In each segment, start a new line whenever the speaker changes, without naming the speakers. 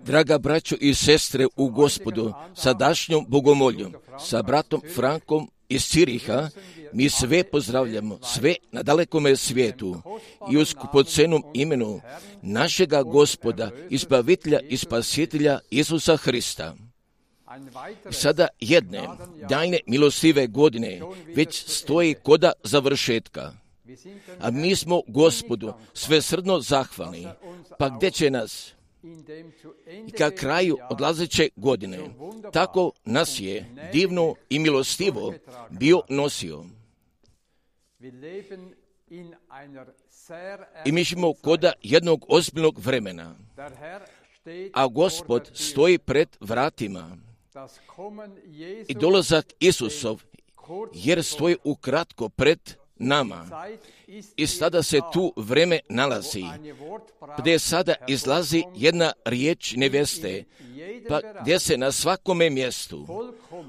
Draga braćo i sestre u Gospodu, sadašnjom bogomoljom, sa bratom Frankom iz Ciriha, mi sve pozdravljamo, sve na dalekome svijetu i u skupocenom imenu našega Gospoda, Izbavitelja i Spasitelja Isusa Hrista. Sada jedne daljne milostive godine već stoji koda završetka, a mi smo Gospodu svesrdno zahvalni, pa gdje će nas i ka kraju odlazeće godine, tako nas je divno i milostivo bio nosio. I mi živimo koda jednog ozbiljnog vremena, a Gospod stoji pred vratima i dolazak Isusov, jer stoji ukratko pred nama. I sada se tu vreme nalazi, gdje sada izlazi jedna riječ neveste, pa gdje se na svakome mjestu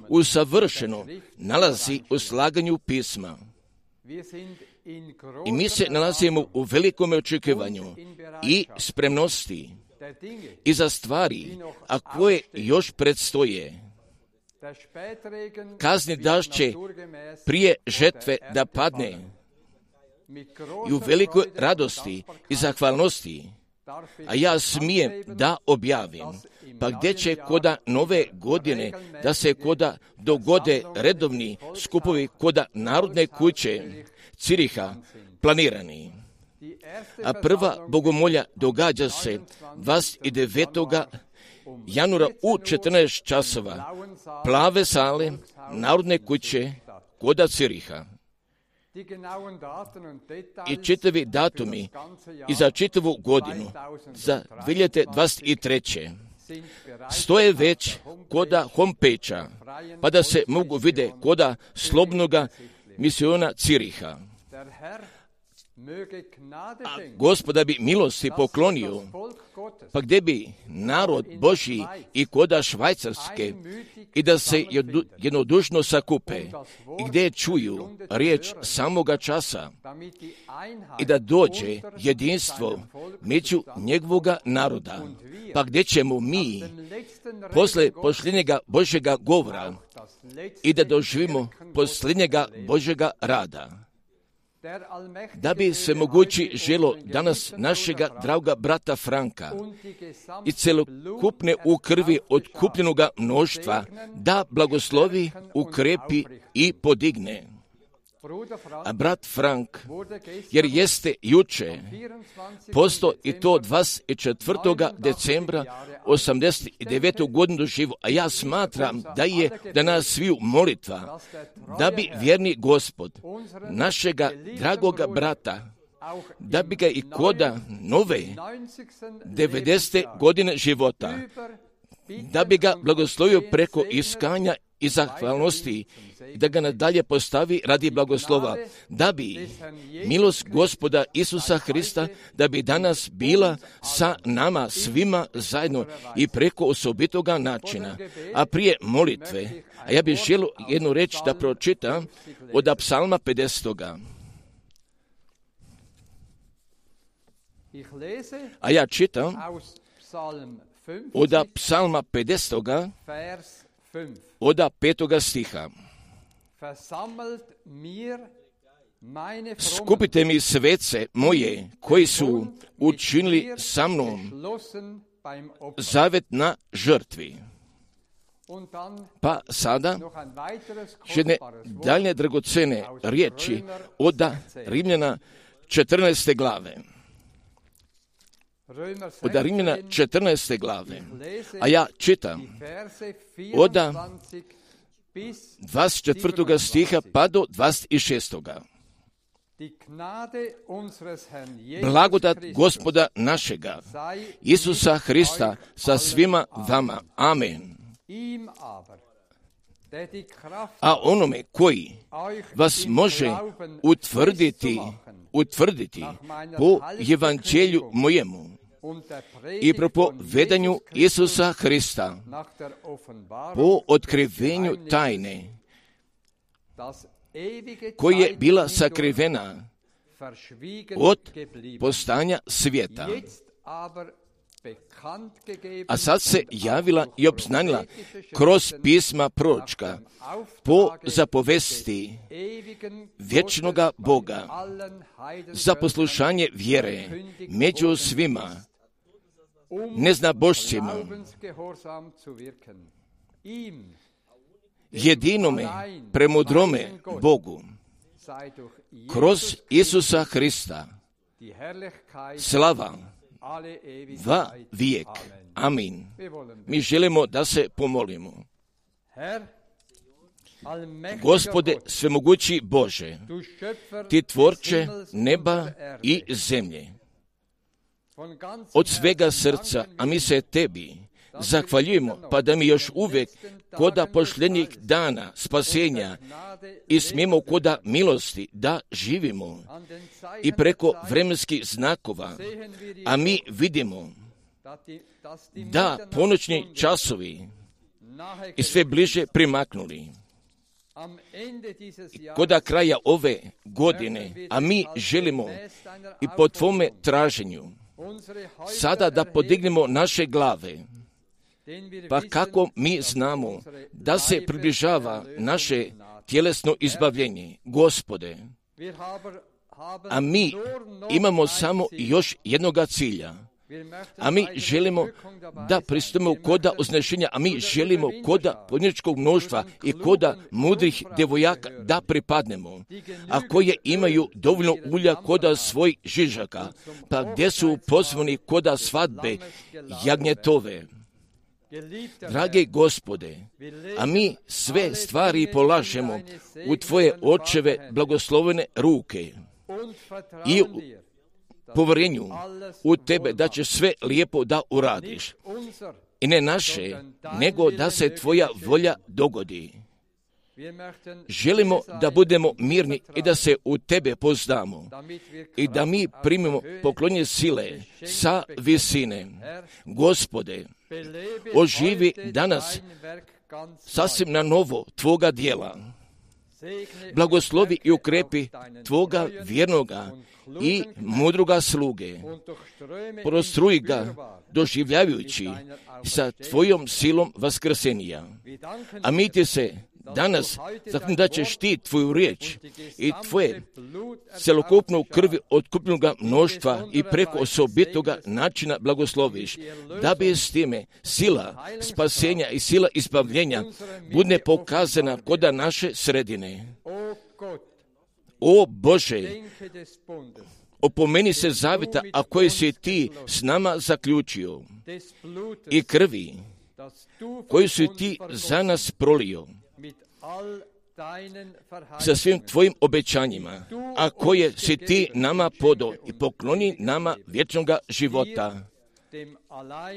usavršeno nalazi u slaganju pisma. I mi se nalazimo u velikom očekivanju i spremnosti i za stvari, a koje još predstoje. Kazni daž će prije žetve da padne i u velikoj radosti i zahvalnosti, a ja smijem da objavim, pa gdje će koda nove godine da se koda dogode redovni skupovi koda Narodne kuće Ciriha planirani. A prva bogomolja događa se 29. januara u 14 časova, plave sale Narodne kuće koda Ciriha. I čitavi datumi i za čitavu godinu, za 2023. stoje već koda homepage-a, pa da se mogu vide koda slobodnoga misiona Ciriha. A Gospoda bi milosti poklonio, pa gdje bi narod Božji i koda Švajcarske i da se jednodušno sakupe i gdje čuju riječ samoga časa i da dođe jedinstvo među njegovoga naroda, pa gdje ćemo mi posle posljednjega Božjega govora i da doživimo posljednjega Božjega rada. Da bi se mogući želo danas našega draga brata Franka i celokupne u krvi otkupljenoga mnoštva da blagoslovi, ukrepi i podigne. A brat Frank, jer jeste juče posto i to 24. decembra 89. godinu doživo, a ja smatram da je da nas sviju molitva, da bi vjerni Gospod, našega dragoga brata, da bi ga i koda nove 90. godine života, da bi ga blagoslovio preko iskanja i zahvalnosti, da ga nadalje postavi radi blagoslova, da bi milost Gospoda Isusa Hrista, da bi danas bila sa nama svima zajedno i preko osobitoga načina. A prije molitve, a ja bih želio jednu reč da pročitam od Psalma 50. A ja čitam od Psalma 50. od 5. stiha. Skupite mi svece moje, koji su učinili sa mnom zavet na žrtvi. Pa sada jedne dalje dragocene riječi od Rimljana 14. glave. Od Rimljana 14. glave. A ja čitam od 24. stiha pa do 26. Blagodat Gospoda našega, Isusa Hrista, sa svima vama. Amen. A onome koji vas može utvrditi po evanđelju mojemu i propovedanju Isusa Hrista, po otkrivenju tajne, koja je bila sakrivena od postanja svijeta, a sad se javila i obznanila kroz pisma proročka po zapovesti vječnoga Boga za poslušanje vjere među svima neznabošcima, jedinome premudrome Bogu kroz Isusa Hrista slava va vijek. Amin. Mi želimo da se pomolimo. Gospode svemogući Bože, ti tvorče neba i zemlje, od svega srca, a mi se tebi zahvaljujemo, pa da mi još uvijek koda pošljenih dana spasenja i smijemo koda milosti da živimo i preko vremenskih znakova, a mi vidimo da ponoćni časovi i sve bliže primaknuli. Koda kraja ove godine, a mi želimo i po tvome traženju sada da podignemo naše glave, pa kako mi znamo da se približava naše tjelesno izbavljenje, Gospode, a mi imamo samo još jednoga cilja, a mi želimo da pristupimo koda uznešenja, a mi želimo koda podnječkog mnoštva i koda mudrih devojaka da pripadnemo, a koje imaju dovoljno ulja koda svojih žižaka, pa gdje su pozvani koda svadbe jagnjetove. Drage Gospode, a mi sve stvari polažemo u Tvoje očeve blagoslovene ruke i povjerenju u Tebe da će sve lijepo da uradiš. I ne naše, nego da se Tvoja volja dogodi. Želimo da budemo mirni i da se u Tebe poznamo i da mi primimo poklonje sile sa visine. Gospode, oživi danas sasvim na novo Tvoga djela. Blagoslovi i ukrepi Tvoga vjernoga i mudroga sluge. Prostruji ga doživljavajući sa Tvojom silom vaskrsenja. A mi ti se danas da ćeš ti Tvoju riječ i Tvoje celokupnu krvi otkupljenoga mnoštva i preko osobitoga načina blagosloviš, da bi s time sila spasenja i sila izbavljenja bude pokazana koda naše sredine. O Bože, opomeni se zavjeta, a koji si ti s nama zaključio, i krvi koju si ti za nas prolio, sa svim tvojim obećanjima, a koje si ti nama podao i pokloni nama vječnoga života.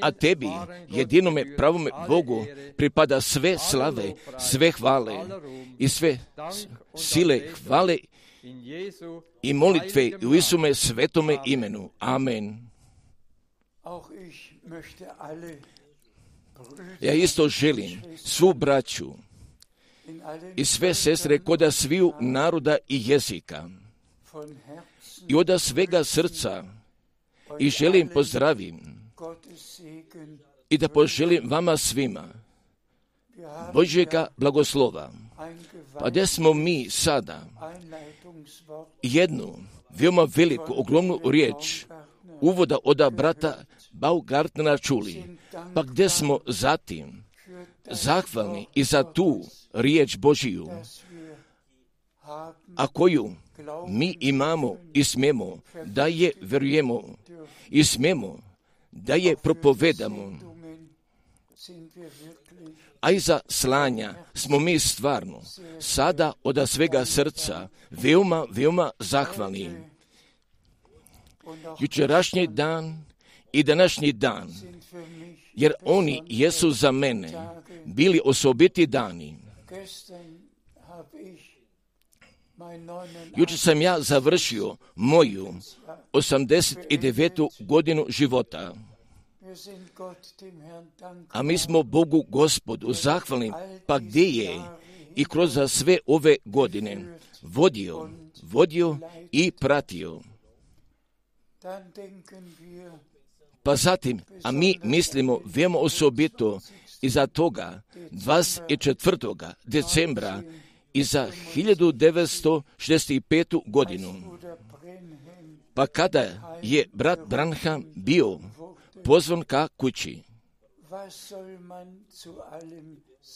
A tebi, jedinome pravome Bogu, pripada sve slave, sve hvale i sve sile hvale i molitve u Isume svetome imenu. Amen. Ja isto želim svu braću i sve sestre koda sviju naroda i jezika i od svega srca i želim pozdravim i da poželim vama svima Božjega blagoslova. Pa gdje smo mi sada jednu veoma veliku, ogromnu riječ uvoda od brata Baumgartnera čuli, pa gdje smo zatim zahvalni i za tu riječ Božiju, a koju mi imamo i smemo da je vjerujemo i smemo da je propovedamo, a i za slanja smo mi stvarno sada od svega srca veoma zahvalni. Jučerašnji dan i današnji dan, jer oni jesu za mene bili osobiti dani. Jučer sam ja završio moju 89. godinu života. A mi smo Bogu Gospodu zahvalni, pa gdje je i kroz sve ove godine vodio i pratio. Pa zatim, a mi mislimo veoma osobito i za toga 24. decembra i za 1965. godinu. Pa kada je brat Branham bio pozvan ka kući,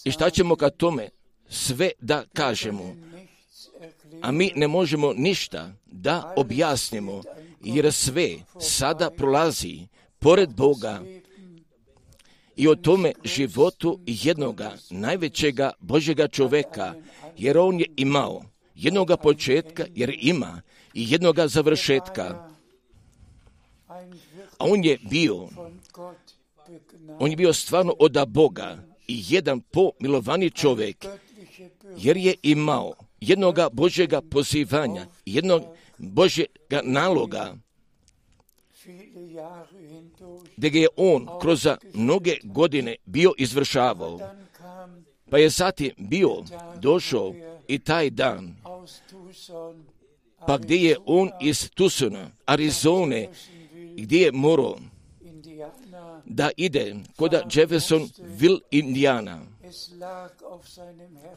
i šta ćemo ka tome sve da kažemo? A mi ne možemo ništa da objasnimo, jer sve sada prolazi pored Boga i o tome životu jednoga najvećega Božjega čoveka, jer on je imao jednoga početka, jer ima i jednoga završetka. A on je bio stvarno od Boga i jedan pomilovani čovjek, jer je imao jednoga Božjega pozivanja, jednog Božjega naloga, gdje je on kroz mnoge godine bio izvršavao. Pa je zatim došao i taj dan, pa gdje je on iz Tucsona, Arizone, gdje je morao da ide kod Jeffersonville, Indijana.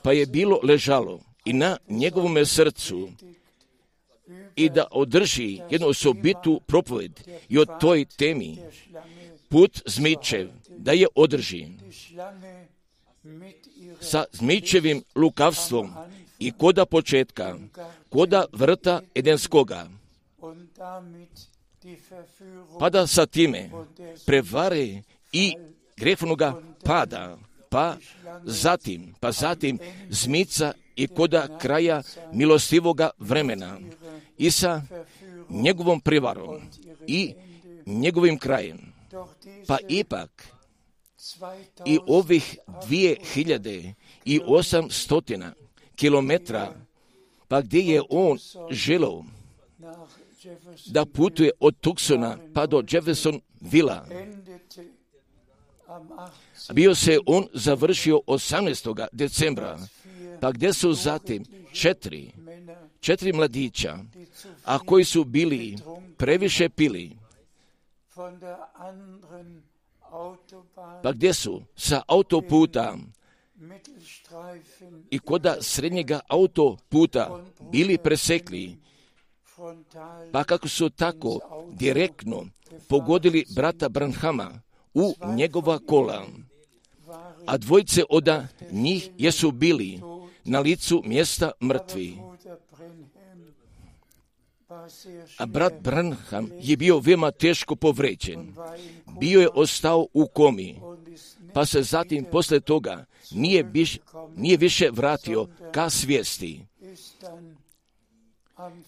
Pa je bilo ležalo i na njegovom srcu i da održi jednu osobitu propoved i o toj temi, put zmičev, da je održi sa zmičevim lukavstvom i koda početka, koda vrta Edenskoga, pa da sa time prevare i grehovnoga pada, pa zatim zmica i koda kraja milostivoga vremena i sa njegovom prevarom i njegovim krajem. Pa ipak i ovih 2800 kilometra, pa gdje je on želeo da putuje od Tucsona pa do Jeffersonvilla, bio se on završio 18. decembra, pa gdje su zatim četiri mladića, a koji su bili previše pili, pa gdje su sa autoputa i koda srednjega autoputa bili presekli, pa kako su tako direktno pogodili brata Branhama u njegova kola, a dvojice od njih jesu bili na licu mjesta mrtvi. A brat Branham je bio veoma teško povređen. Bio je ostao u komi, pa se zatim posle toga nije više vratio ka svijesti.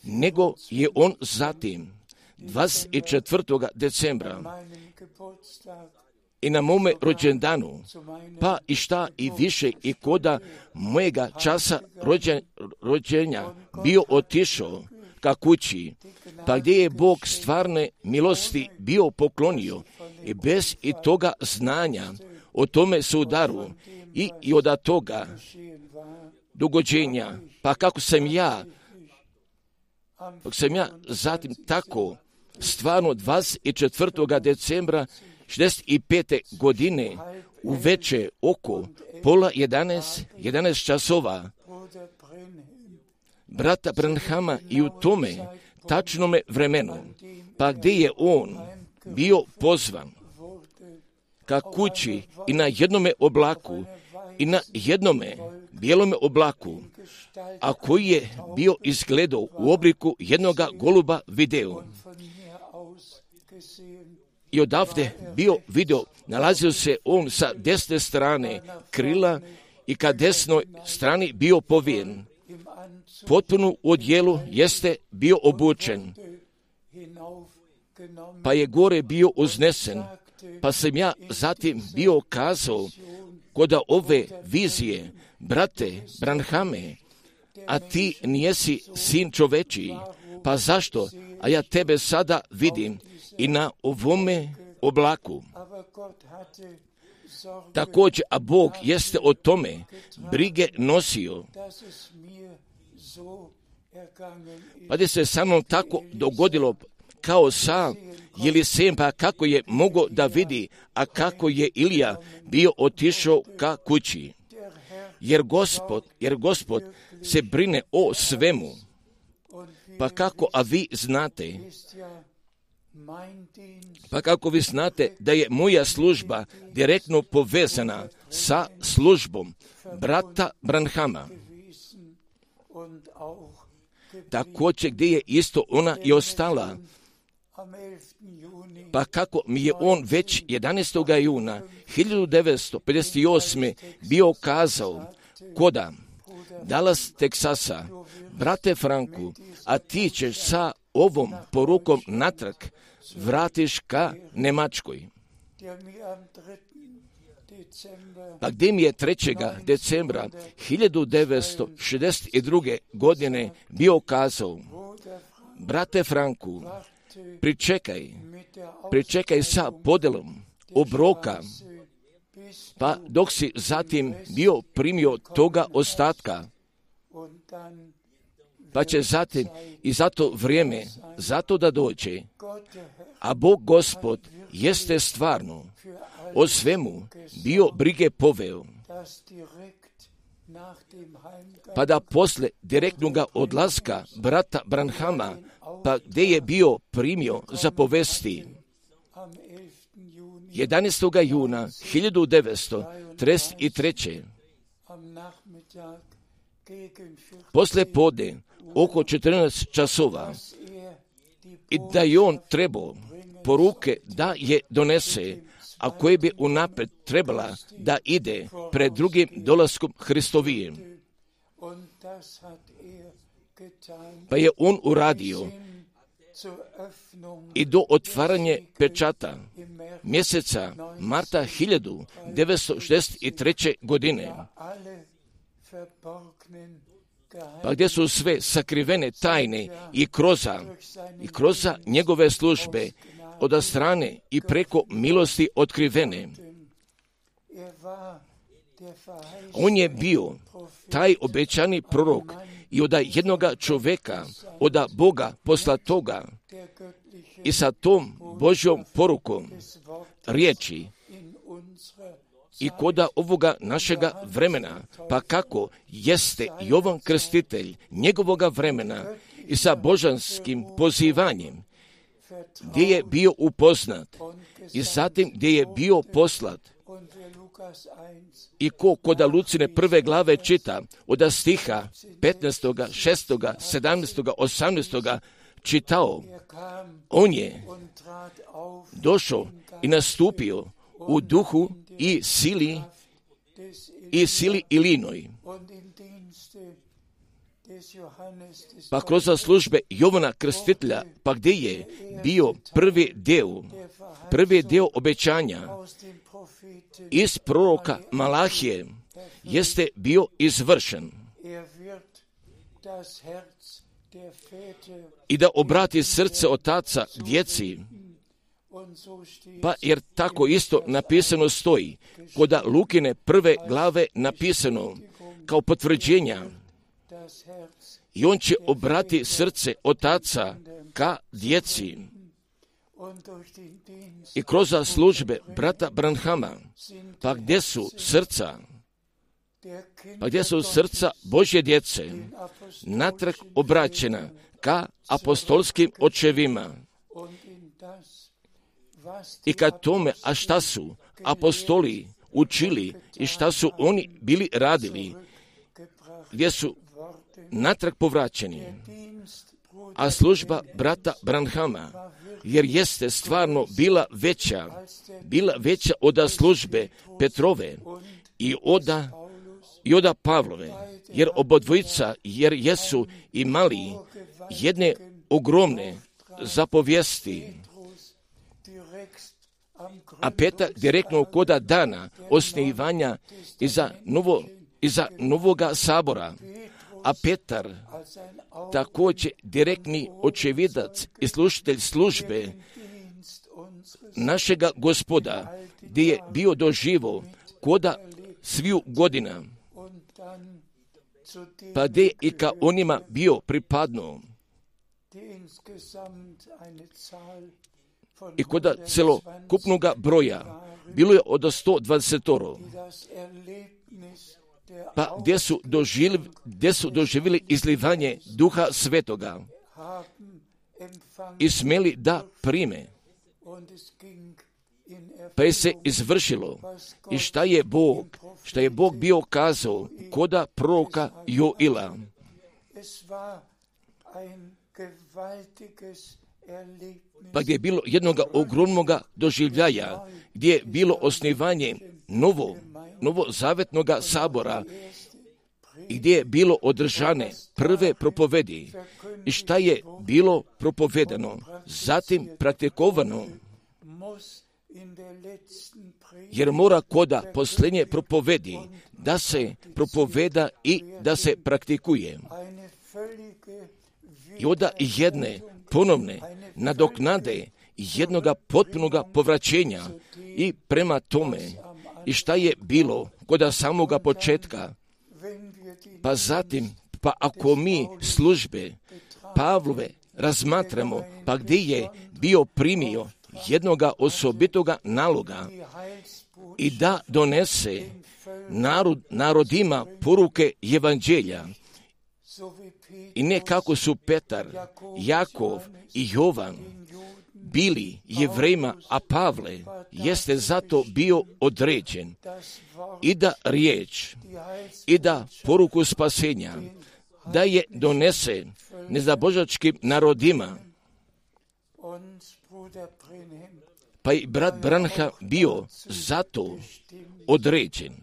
Nego je on zatim 24. decembra i na mome rođendanu, pa i šta i više i koda mojega časa rođenja bio otišao ka kući, pa gdje je Bog stvarne milosti bio poklonio i bez i toga znanja o tome sudaru i od toga dogođenja, pa kako sam ja zatim tako stvarno 24. decembra 65. godine u veče oko 11 časova brata Branhama i u tome tačnome vremenu, pa gdje je on bio pozvan ka kući i na jednome oblaku i na jednome bijelome oblaku, a koji je bio izgledao u obliku jednoga goluba video. I odavde bio video, nalazio se on sa desne strane krila i ka desnoj strani bio povijen. Potpuno u odjelu jeste bio obučen, pa je gore bio uznesen, pa sam ja zatim bio kazao kod ove vizije, brate Branhame, a ti nijesi sin čovečiji, pa zašto? A ja tebe sada vidim i na ovome oblaku. Također, a Bog jeste o tome brige nosio, pa da se sa mnom tako dogodilo, kao sam Jelisej, pa kako je mogao da vidi, a kako je Ilija bio otišao ka kući. Jer Gospod se brine o svemu. Pa kako, a vi znate, da je moja služba direktno povezana sa službom brata Branhama. Također gdje je isto ona i ostala. Pa kako mi je on već 11. juna 1958. bio kazao koda Dallas, Teksasa, brate Franku, a ti ćeš sa ovom porukom natrag vratiš ka Njemačkoj. Pa gdje mi je 3. decembra 1962. godine bio kazao, brate Franku, pričekaj sa podelom obroka, pa dok si zatim bio primio toga ostatka, pa će zatim i za to vrijeme, zato da dođe. A Bog Gospod jeste stvarno o svemu bio brige poveo, pa da posle direktnoga odlaska brata Branhama, pa gdje je bio primio za povesti 11. juna 1933. Posle pode oko 14 časova i da je on trebao poruke da je donese, a koje bi unapred trebala da ide pred drugim dolaskom Hristovijem. Pa je on uradio i do otvaranje pečata mjeseca marta 1963. godine, pa gdje su sve sakrivene tajne i kroza njegove službe od strane i preko milosti otkrivene. On je bio taj obećani prorok i od jednoga čovjeka, od Boga poslatoga i sa tom Božjom porukom riječi i koda ovoga našega vremena, pa kako jeste Jovan Krstitelj njegovoga vremena i sa božanskim pozivanjem, gdje je bio upoznat i zatim gdje je bio poslat. I koda Lucine 1. glave čita od stiha 15., 6., 17., 18. čitao, on je došao i nastupio u duhu i sili Ilinoj. Pa kroz službe Jovana Krstitelja, pa gdje je bio prvi dio obećanja iz proroka Malahije, jeste bio izvršen. I da obrati srce otaca k djeci, pa jer tako isto napisano stoji, koda Lukine 1. glave napisano kao potvrđenja, i on će obrati srce otaca ka djeci. I kroz službe brata Branhama, pa gdje su srca Božje djece natrag obraćena ka apostolskim očevima. I ka tome, a šta su apostoli učili i šta su oni bili radili, gdje su natrag povraćeni. A služba brata Branhama, jer jeste stvarno bila veća od službe Petrove i od Pavlove, jer obodvojica, jer jesu imali jedne ogromne zapovijesti. A Petar direktno koda dana osnivanja iza novoga sabora, a Petar također direktni očevidac i slušatelj službe našega Gospoda, gdje je bio doživo koda sviju godina, pa gdje i ka onima bio pripadno, i koda celokupnoga broja bilo je od 120, pa gdje su doživjeli izlivanje Duha Svetoga i smjeli da prime. Pa je se izvršilo i šta je Bog bio kazao koda proroka Joila. Pa gdje je bilo jednoga ogromnoga doživljaja, gdje je bilo osnivanje novozavetnoga sabora i gdje je bilo održane prve propovedi i šta je bilo propovedano, zatim praktikovano, jer mora koda posljednje propovedi da se propoveda i da se praktikuje. I onda jedne ponovne nadoknade jednoga potpunoga povraćenja i prema tome i šta je bilo koda samoga početka. Pa zatim, pa ako mi službe Pavlove razmatramo, pa gdje je bio primio jednoga osobitoga naloga i da donese narodima poruke evanđelja. I ne kako su Petar, Jakov i Jovan bili Jevrejima, a Pavle jeste zato bio određen i da riječ i da poruku spasenja da je donese nezabožačkim narodima. Pa i brat Branham bio zato određen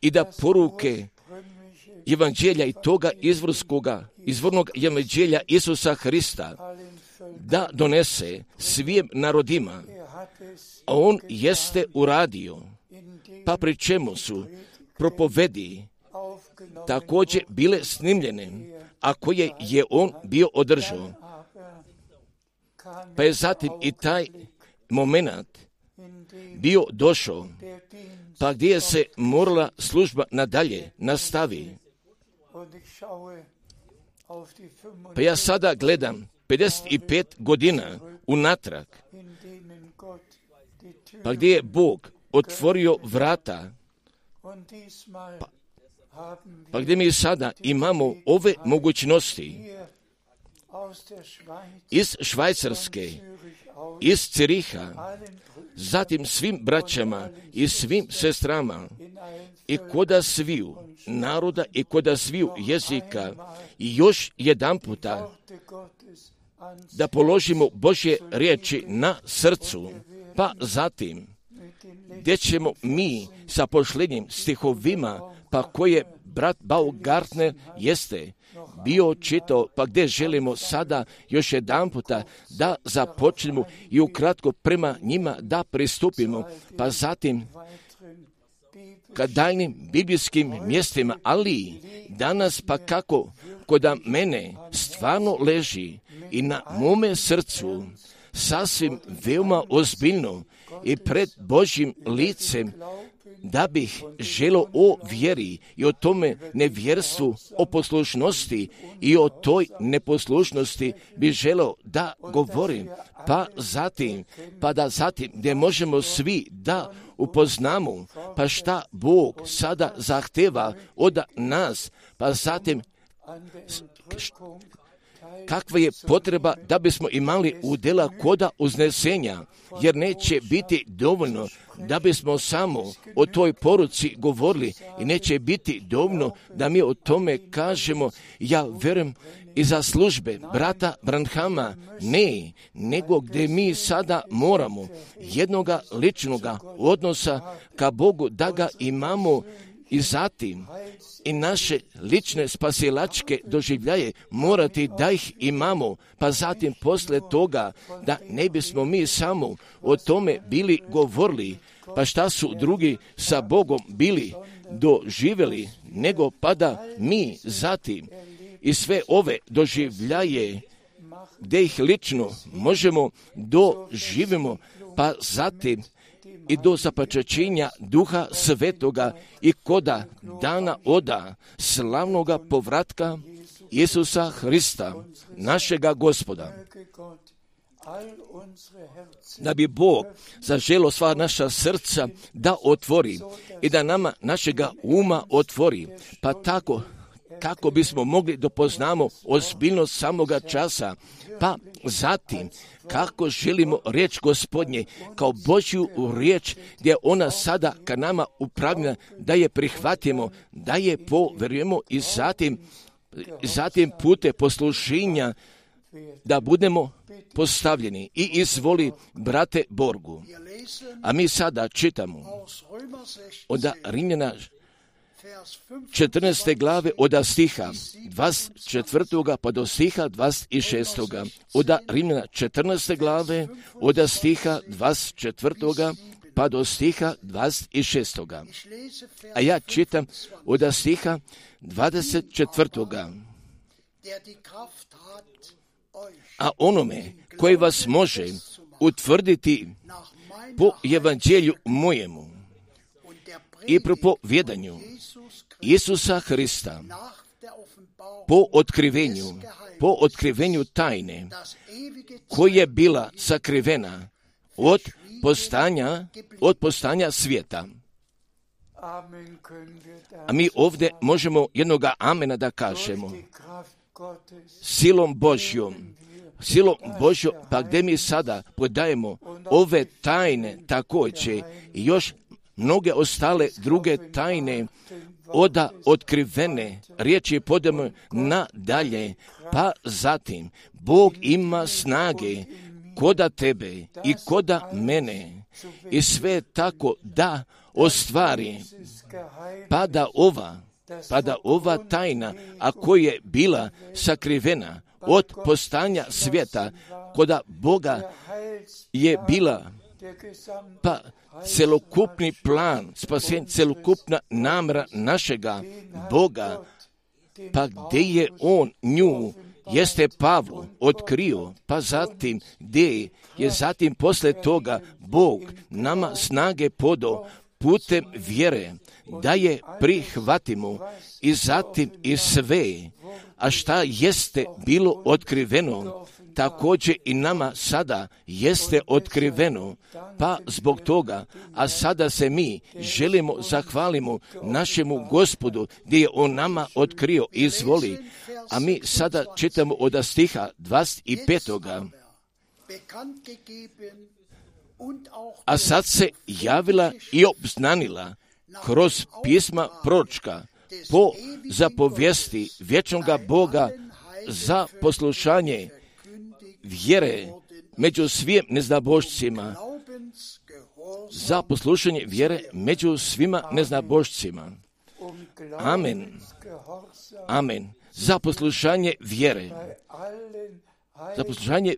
i da poruke evanđelja i toga izvornog evanđelja Isusa Hrista da donese svim narodima, a on jeste uradio, pa pri čemu su propovedi također bile snimljene, a koje je on bio održao. Pa je zatim i taj moment bio došao, pa gdje se morala služba nadalje nastavi. Pa ja sada gledam 55 godina unatrag, pa gdje je Bog otvorio vrata, pa gdje mi sada imamo ove mogućnosti iz Švajcarske, iz Ciriha, zatim svim braćama i svim sestrama i koda sviju naroda i koda sviju jezika i još jedan puta da položimo Božje riječi na srcu, pa zatim gdje ćemo mi sa posljednjim stihovima, pa koje brat Baumgartner jeste bio čitao, pa gdje želimo sada još jedan puta da započnemo i ukratko prema njima da pristupimo, pa zatim ka daljnim biblijskim mjestima, ali danas pa kako koda mene stvarno leži i na mome srcu sasvim veoma ozbiljno i pred Božjim licem da bih želio o vjeri i o tome nevjerstvu, o poslušnosti i o toj neposlušnosti bi želio da govorim, pa da zatim gdje možemo svi da upoznamo, pa šta Bog sada zahteva od nas, pa zatim kakva je potreba da bismo imali udjela koda uznesenja, jer neće biti dovoljno da bismo samo o toj poruci govorili i neće biti dovoljno da mi o tome kažemo, ja vjerujem i za službe brata Branhama, ne, nego gdje mi sada moramo jednoga ličnoga odnosa ka Bogu da ga imamo i zatim i naše lične spasilačke doživljaje morati da ih imamo, pa zatim posle toga da ne bismo mi samo o tome bili govorili, pa šta su drugi sa Bogom bili doživjeli, nego pa da mi zatim i sve ove doživljaje gdje ih lično možemo doživimo, pa zatim i do zapačačenja Duha Svetoga i koda dana oda slavnoga povratka Isusa Hrista, našega Gospoda. Da bi Bog zaželio sva naša srca da otvori i da nama našega uma otvori, pa tako kako bismo mogli da poznamo ozbiljnost samoga časa, pa zatim kako želimo riječ Gospodnje kao Božju riječ, gdje ona sada ka nama upravlja, da je prihvatimo, da je poverujemo i zatim pute poslušenja da budemo postavljeni. I izvoli, brate Borgu. A mi sada čitamo od Rimljana 14. glave od stiha 24. pa do stiha 26. Od Rimljana 14. glave od stiha 24. pa do stiha 26. A ja čitam od stiha 24. A onome koji vas može utvrditi po evanđelju mojemu i propovjedanju Isusa Hrista po otkrivenju tajne koja je bila sakrivena od postanja svijeta. A mi ovdje možemo jednoga amena da kažemo. Silom Božjom, pa gdje mi sada podajemo ove tajne također i još mnoge ostale druge tajne otkrivene riječi podajemo nadalje, pa zatim Bog ima snage koda tebe i koda mene i sve tako da ostvari, pa da ova tajna, a koja je bila sakrivena od postanja svijeta, koda Boga je bila, pa celokupni plan spasenja, celokupna namjera našega Boga, pa gdje je on nju, jeste Pavlu otkrio, pa zatim gdje je zatim posle toga Bog nama snage podao putem vjere, da je prihvatimo i zatim i sve, a šta jeste bilo otkriveno, također i nama sada jeste otkriveno, pa zbog toga, a sada se mi želimo zahvalimo našemu Gospodu gdje je on nama otkrio, izvoli, a mi sada čitamo od stiha 25. A sad se javila i obznanila kroz pisma proročka po zapovijesti vječnoga Boga za poslušanje vjere među svim neznabošcima, za poslušanje vjere među svima neznabošcima. Amen. Amen. Za poslušanje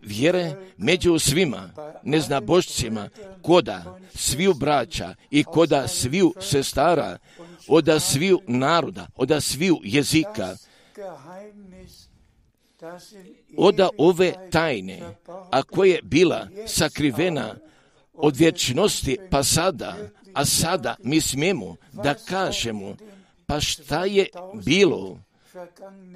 vjere među svima neznabošcima, koda sviju braća i koda sviju sestara, od sviju naroda, od sviju jezika, od ove tajne, a koja je bila sakrivena od vječnosti pa sada, a sada mi smijemo da kažemo, pa šta je bilo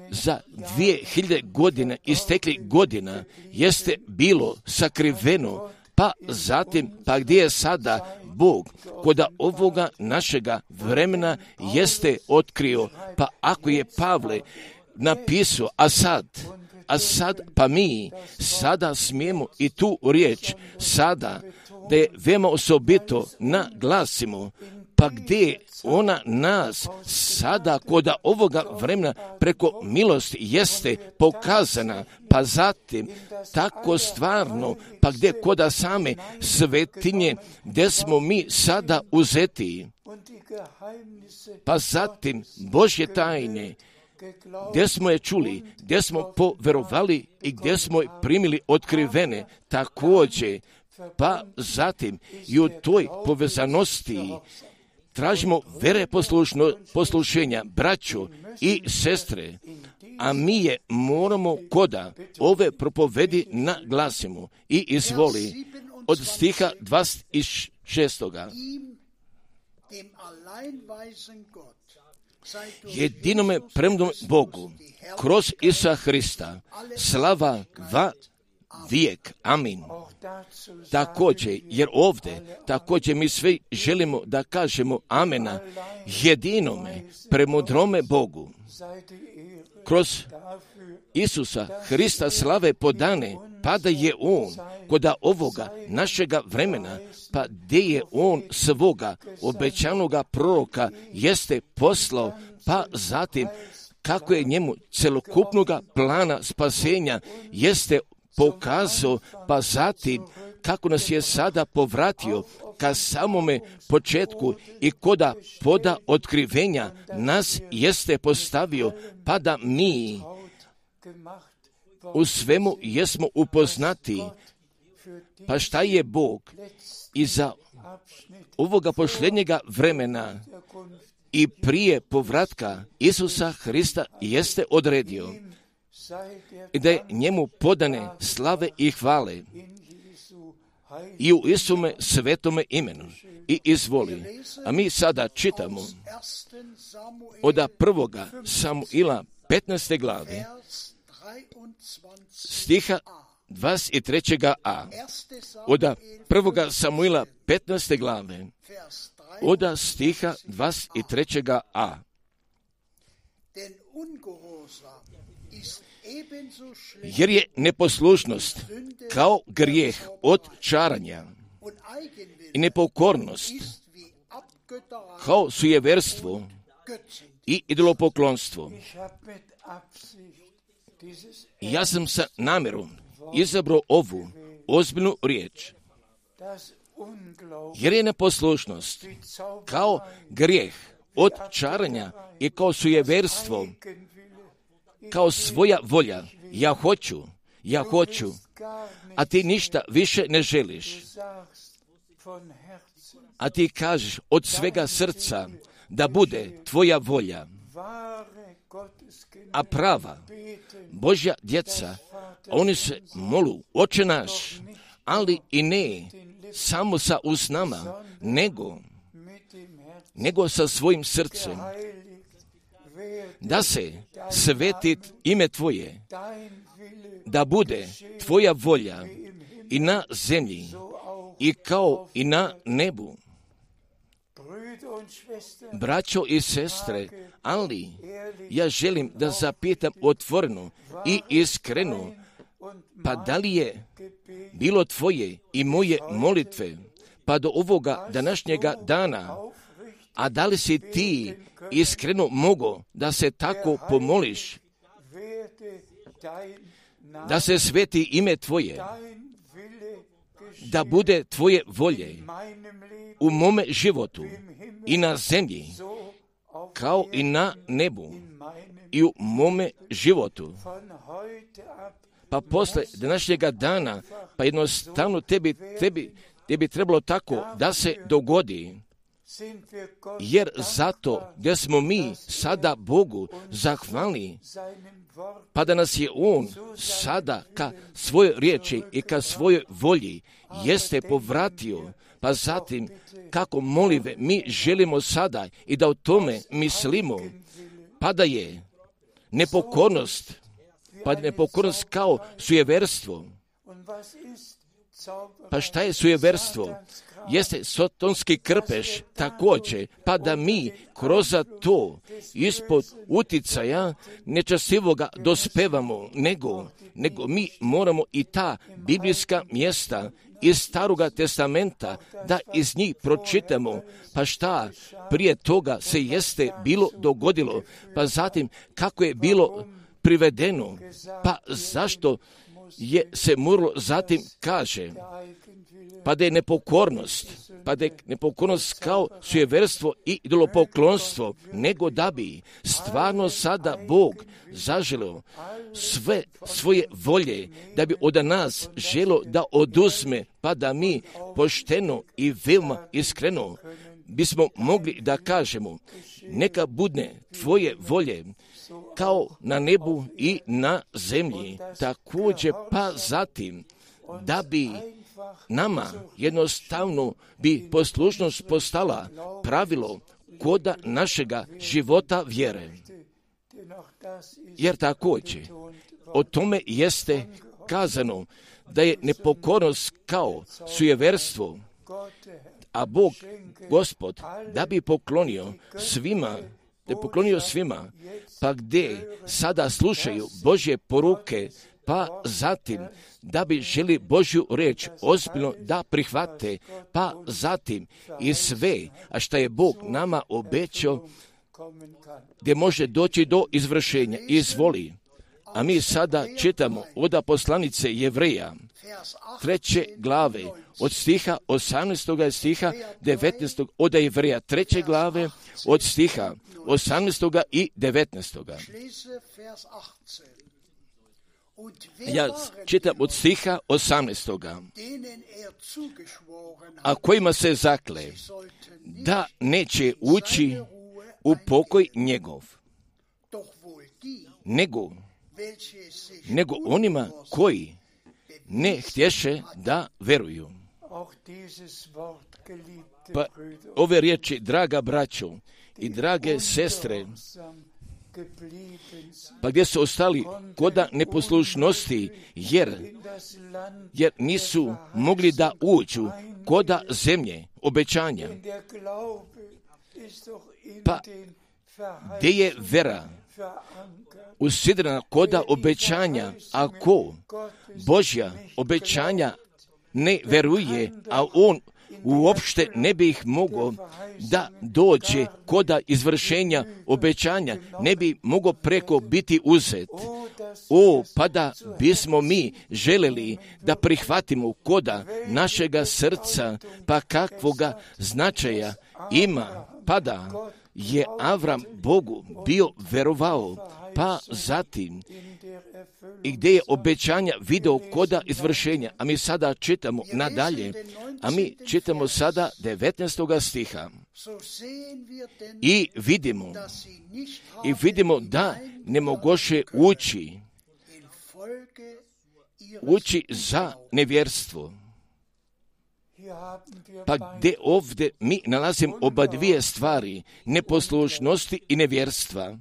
za 2000 godina istekli godina jeste bilo sakriveno, pa zatim, pa gdje je sada Bog koda ovoga našega vremena jeste otkrio, pa ako je Pavle napisao, a sad, pa mi sada smijemo i tu riječ sada, da je veoma osobito naglasimo, pa gdje ona nas sada koda ovoga vremena preko milosti jeste pokazana, pa zatim tako stvarno, pa gdje koda same svetinje, gdje smo mi sada uzeti, pa zatim Božje tajne, gdje smo je čuli, gdje smo poverovali i gdje smo je primili otkrivene, također, pa zatim i u toj povezanosti tražimo vere poslušenja, braćo i sestre, a mi je moramo koda ove propovedi naglasimo i izvoli od stiha 26. jedinome premnom Bogu, kroz Isusa Hrista, slava va vijek. Amin. Također, jer ovdje također mi svi želimo da kažemo amena jedinome premudrome Bogu. Kroz Isusa Hrista slave podane, pa da je On koda ovoga našega vremena, pa gdje je On svoga obećanoga proroka jeste poslao, pa zatim kako je njemu celokupnoga plana spasenja jeste pokazao, pa zatim kako nas je sada povratio ka samome početku i koda poda otkrivenja nas jeste postavio, pa da mi u svemu jesmo upoznati. Pa šta je Bog iza ovoga posljednjega vremena i prije povratka Isusa Hrista jeste odredio i da je njemu podane slave i hvale i u Isume svetome imenu. I izvoli. A mi sada čitamo od 1. Samuila 15. glave stiha 23a. Od 1. Samuila 15. glave od stiha 23a. Jer je neposlušnost kao grijeh od čaranja i nepokornost kao sujeverstvo i idolopoklonstvo. Ja sam sa namjerom izabrao ovu ozbiljnu riječ, jer je neposlušnost kao grijeh od čaranja i kao sujeverstvo, kao svoja volja. Ja hoću, a ti ništa više ne želiš. A ti kažeš od svega srca da bude tvoja volja. A prava Božja djeca, oni se molu, Oče naš, ali i ne samo sa usnama, nego sa svojim srcem. Da se sveti ime tvoje, da bude tvoja volja i na zemlji i kao i na nebu. Braćo i sestre, ali ja želim da zapitam otvoreno i iskreno, pa da li je bilo tvoje i moje molitve pa do ovoga današnjega dana, a da li si ti iskreno mogao da se tako pomoliš, da se sveti ime tvoje, da bude tvoje volje u mome životu i na zemlji, kao i na nebu i u mome životu. Pa posle današnjega dana, pa jednostavno tebi trebalo tako da se dogodi, jer zato gdje smo mi sada Bogu zahvalni, pa da nas je On sada ka svojoj riječi i ka svojoj volji jeste povratio, pa zatim kako molive mi želimo sada i da o tome mislimo, pa da je nepokornost kao sujeverstvo. Pa šta je sujeverstvo? Jeste sotonski krpeš također, pa da mi kroz to ispod uticaja nečastivoga dospevamo, nego mi moramo i ta biblijska mjesta iz Staroga testamenta da iz njih pročitamo, pa šta prije toga se jeste bilo dogodilo, pa zatim kako je bilo privedeno, pa zašto je se moralo zatim kaže, pa da je nepokornost kao sujeverstvo i idolopoklonstvo, nego da bi stvarno sada Bog zaželio sve svoje volje, da bi od nas želo da oduzme, pa da mi pošteno i veoma iskreno bismo mogli da kažemo, neka bude tvoje volje kao na nebu i na zemlji. Također pa zatim da bi nama jednostavno bi poslušnost postala pravilo koda našega života vjere. Jer također o tome jeste kazano da je nepokornost kao sujeverstvo, a Bog, Gospod, da bi poklonio svima, pa gdje sada slušaju Božje poruke, pa zatim da bi želi Božju riječ ozbiljno da prihvate, pa zatim i sve, a što je Bog nama obećao, gdje može doći do izvršenja. Izvoli. A mi sada čitamo od poslanice Jevreja, 3. glave, od stiha 18. stiha 19. od Jevreja, 3. glave, od stiha 18. i 19. Ja čitam od stiha 18. A kojima se zakle da neće ući u pokoj njegov, nego onima koji ne htješe da veruju. Pa ove riječi, draga braćo i drage sestre, pa gdje su ostali koda neposlušnosti, jer nisu mogli da uđu koda zemlje obećanja. Pa gdje je vera usidrena koda obećanja, ako Božja obećanja ne veruje, a on uopšte ne bi ih mogao da dođe koda izvršenja obećanja, ne bi mogao preko biti uzet. Pa da bismo mi želeli da prihvatimo koda našega srca, pa kakvoga značaja ima, pa da je Avram Bogu bio verovao, pa zatim i gdje je obećanja video koda izvršenja. A mi sada čitamo nadalje, a mi čitamo sada 19. stiha. I vidimo da ne mogoše ući za nevjerstvo. Pa gdje ovdje mi nalazimo oba dvije stvari, neposlušnosti i nevjerstva.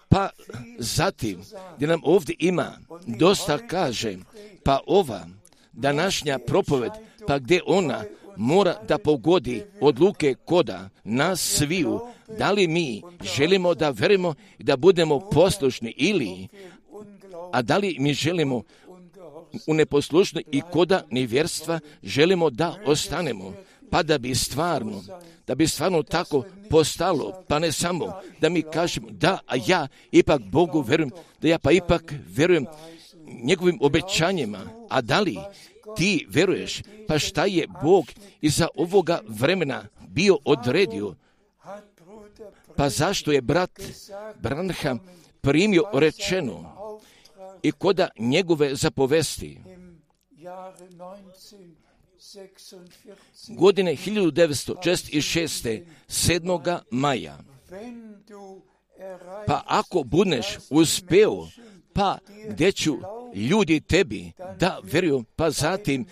Pa zatim, gdje nam ovdje ima dosta kaže, pa ova današnja propoved, pa gdje ona mora da pogodi odluke koda nas sviju, da li mi želimo da verimo i da budemo poslušni a da li mi želimo u neposlušnosti i koda nevjerstva želimo da ostanemo, pa da bi stvarno tako postalo, pa ne samo da mi kažemo da, a ja ipak Bogu verujem, da ja pa ipak verujem njegovim obećanjima, a da li ti veruješ, pa šta je Bog iza ovoga vremena bio odredio, pa zašto je brat Branham primio rečeno i koda njegove zapovesti godine 1946. 7. maja. Pa ako budeš uspeo, pa gdje ću ljudi tebi da veruju, pa zatim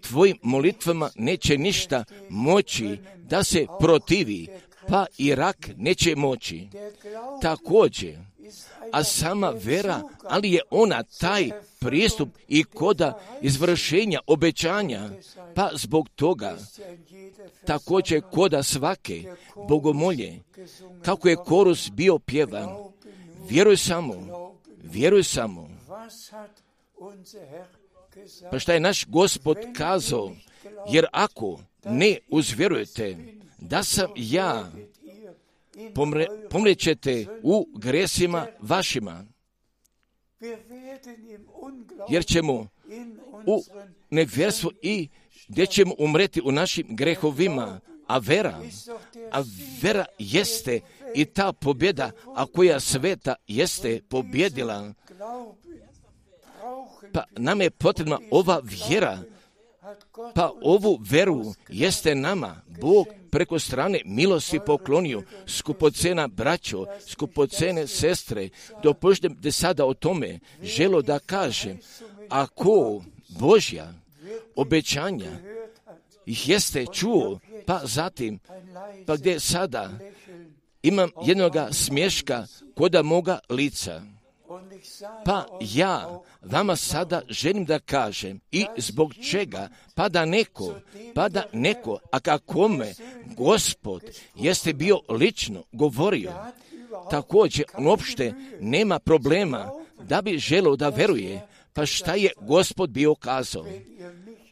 tvojim molitvama neće ništa moći da se protivi, pa i rak neće moći. Također, a sama vera, ali je ona taj pristup i koda izvršenja obećanja, pa zbog toga također koda svake bogomolje, kako je korus bio pjevan, vjeruj samo. Pa šta je naš Gospod kazao, jer ako ne uzvjerujete da sam ja, pomrećete u gresima vašima, jer ćemo u nevjerstvu i gdje ćemo umreti u našim grehovima, a vera jeste i ta pobjeda, a koja sveta jeste pobjedila. Pa nam je potrebna ova vjera, pa ovu veru jeste nama Bog preko strane milosti poklonio. Skupocena braćo, skupocene sestre, dopustite sada o tome želo da kažem, ako Božja obećanja jeste čuo, pa zatim, pa gdje sada imam jednoga smješka koda moga lica. Pa ja vama sada želim da kažem i zbog čega, pa da neko, a kakome Gospod jeste bio lično govorio, također uopšte nema problema da bi želio da veruje, pa šta je Gospod bio kazao.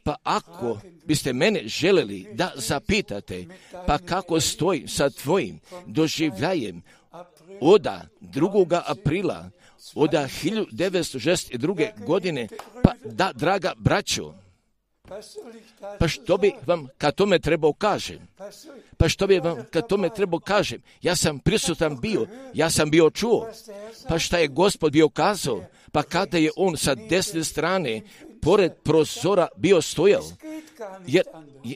Pa ako biste mene želeli da zapitate, pa kako stoji sa tvojim doživljajem od 2. aprila od 1962. godine, pa da, draga braćo, pa što bi vam kad tome trebao kažem? Ja sam prisutan bio, ja sam bio čuo, pa šta je Gospod bio kazao, pa kada je on sa desne strane pored prozora bio stojao, jer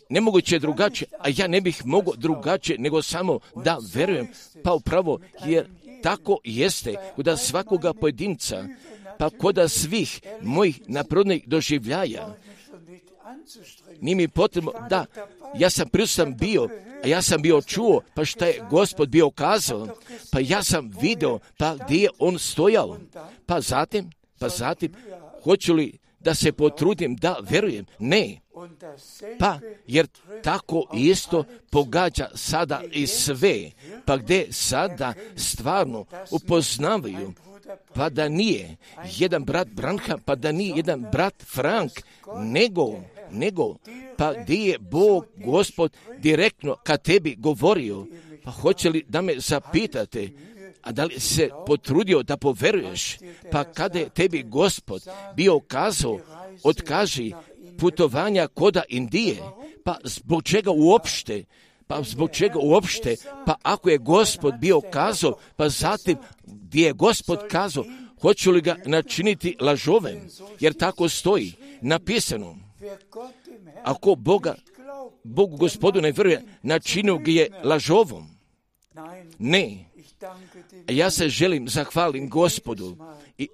nemoguće je drugačije, a ja ne bih mogao drugačije nego samo da verujem, pa upravo jer tako jeste kod svakoga pojedinca, pa kod svih mojih naprodnih doživljaja. Nije mi potrebno da ja sam prisutan bio, a ja sam bio čuo, pa šta je Gospod bio kazao, pa ja sam video, pa gdje je on stojao, pa zatim, hoću li da se potrudim da verujem? Ne. Pa, jer tako isto pogađa sada i sve, pa gdje sada stvarno upoznavaju, pa da nije jedan brat Branham, pa da nije jedan brat Frank, nego, pa gdje je Bog, Gospod, direktno kad tebi govorio, pa hoće li da me zapitate, a da li se potrudio da poveruješ, pa kada je tebi Gospod bio kazao, otkaži putovanja koda Indije, pa zbog čega uopšte, pa ako je Gospod bio kazao, pa zatim gdje je Gospod kazao, hoću li ga načiniti lažovem, jer tako stoji napisano. Ako Bogu Gospodu ne vjeruje, načinio ga je lažovom. Ne. Ja se želim zahvalim Gospodu i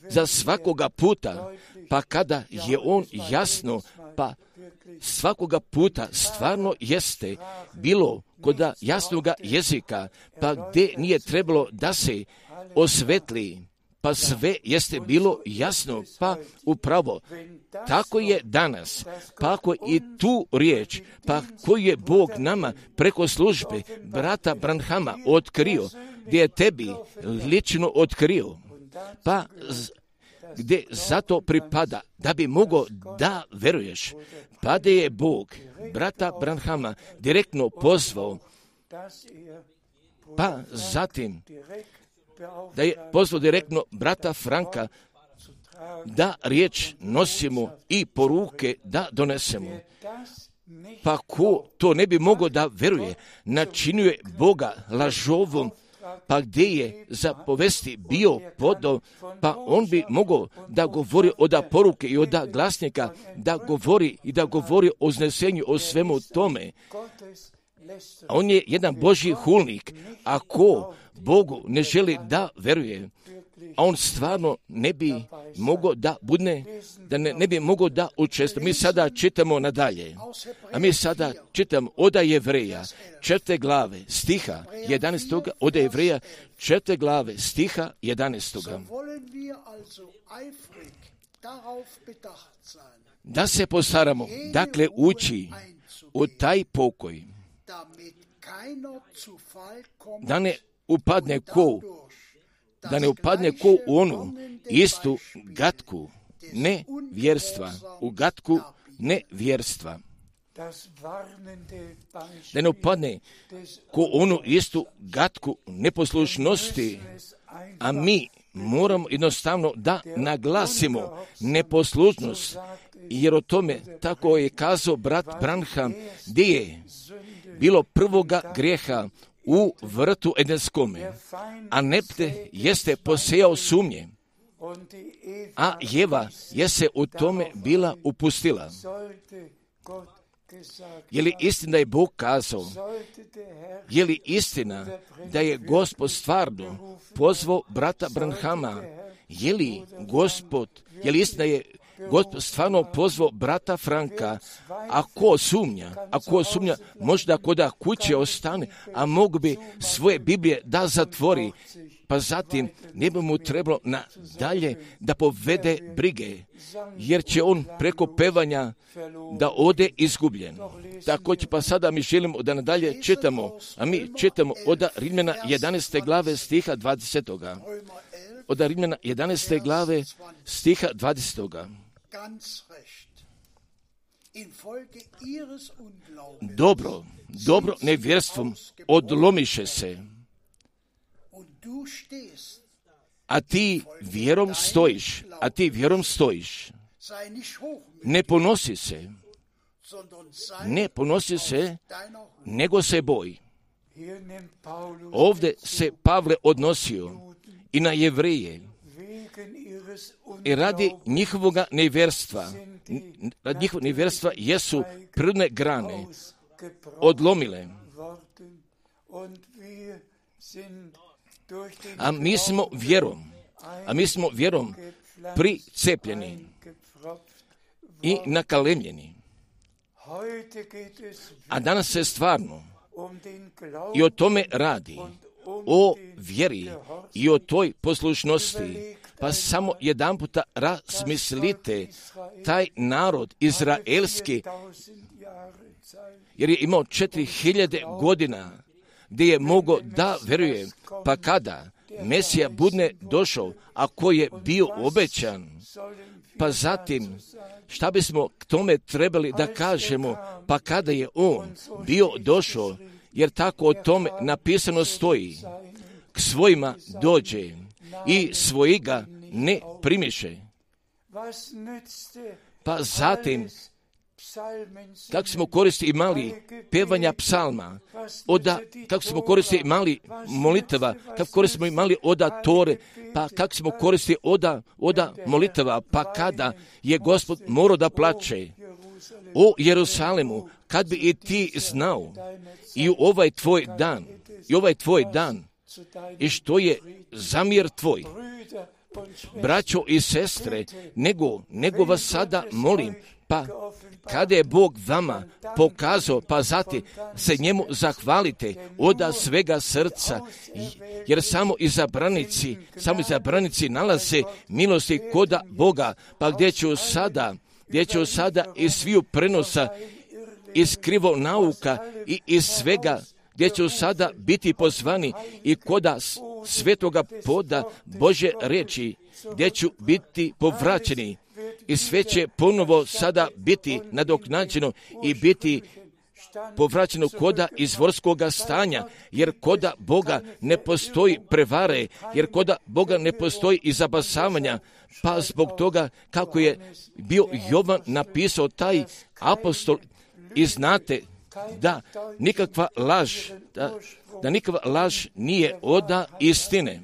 za svakoga puta, pa kada je on jasno, pa svakoga puta stvarno jeste bilo kod jasnoga jezika, pa gdje nije trebalo da se osvetli, pa sve jeste bilo jasno, pa upravo tako je danas, pa ako i tu riječ, pa koju je Bog nama preko službe brata Branhama otkrio, gdje je tebi lično otkrio, pa gdje zato pripada da bi mogao da veruješ, pa da je Bog brata Branhama direktno pozvao, pa zatim da je pozvao direktno brata Franka da riječ nosimo i poruke da donesemo. Pa ko to ne bi mogao da veruje, načinjuje Boga lažovom, pa gdje je za povesti bio podao, pa on bi mogao da govori od poruke i od glasnika, da govori o uznesenju, o svemu tome. On je jedan Božji hulnik, a ko Bogu ne želi da veruje, a on stvarno ne bi mogao da bude, da ne bi mogao da učestvuje. Mi sada čitamo nadalje, a mi sada čitamo od Jevreja 4. glave stiha 11. od Jevreja 4. glave stiha 11. Da se postaramo, dakle, ući u taj pokoj, da ne upadne ko u onu istu gatku nevjerstva, u gatku nevjerstva. Da ne upadne ko onu istu gatku neposlušnosti, a mi moramo jednostavno da naglasimo neposlušnost, jer o tome tako je kazao brat Branham, gdje je bilo prvoga grijeha u vrtu Edenskome, a nepte jeste posejao sumnje, a Jeva je se u tome bila upustila. Je li istina da je Bog kazao? Je li istina da je Gospod stvarno pozvao brata Branhama? Je li istina Gospod stvarno pozvao brata Franka, ako sumnja, možda koda kuće ostane, a mogu bi svoje Biblije da zatvori, pa zatim ne bi mu trebalo nadalje da povede brige, jer će on preko pevanja da ode izgubljen. Također pa sada mi želimo da nadalje čitamo, a mi čitamo od Rimljana 11. glave stiha 20. Od Rimljana 11. glave stiha 20. Dobro nevjerstvom odlomiše se, a ti vjerom stojiš. Ne ponosi se, nego se boji. Ovdje se Pavle odnosio i na Jevreje, i radi njihovoga nevjerstva jesu prirodne grane odlomile. A mi smo vjerom pricepljeni i nakalemljeni. A danas se stvarno i o tome radi, o vjeri i o toj poslušnosti. Pa samo jedan puta razmislite, taj narod izraelski, jer je imao 4000 godina gdje je mogao da veruje, pa kada Mesija bude došao, a koji je bio obećan, pa zatim šta bismo k tome trebali da kažemo, pa kada je on bio došao, jer tako o tome napisano stoji, k svojima dođe i svojiga ne primiše. Pa zatim, kako smo koristili imali pevanja psalma, kako smo koristili imali molitava, kako koristimo imali oda Tore, pa kako smo koristili oda molitava, pa kada je Gospod morao da plače o Jerusalemu, kad bi i ti znao i ovaj tvoj dan, i što je zamjer tvoj, braćo i sestre, nego vas sada molim, pa kada je Bog vama pokazao, pa zatim se njemu zahvalite od svega srca, jer samo izabranici nalaze milosti koda Boga, pa gdje ću sada iz sviju prenosa, iz krivo nauka i iz svega, gdje ću sada biti pozvani i koda svetoga poda Božje reči, gdje ću biti povraćeni i sve će ponovo sada biti nadoknađeno i biti povraćeno koda izvorskoga stanja, jer koda Boga ne postoji prevare, jer koda Boga ne postoji i zabasavanja, pa zbog toga kako je bio Jovan napisao taj apostol, i znate da nikakva laž nije oda istine.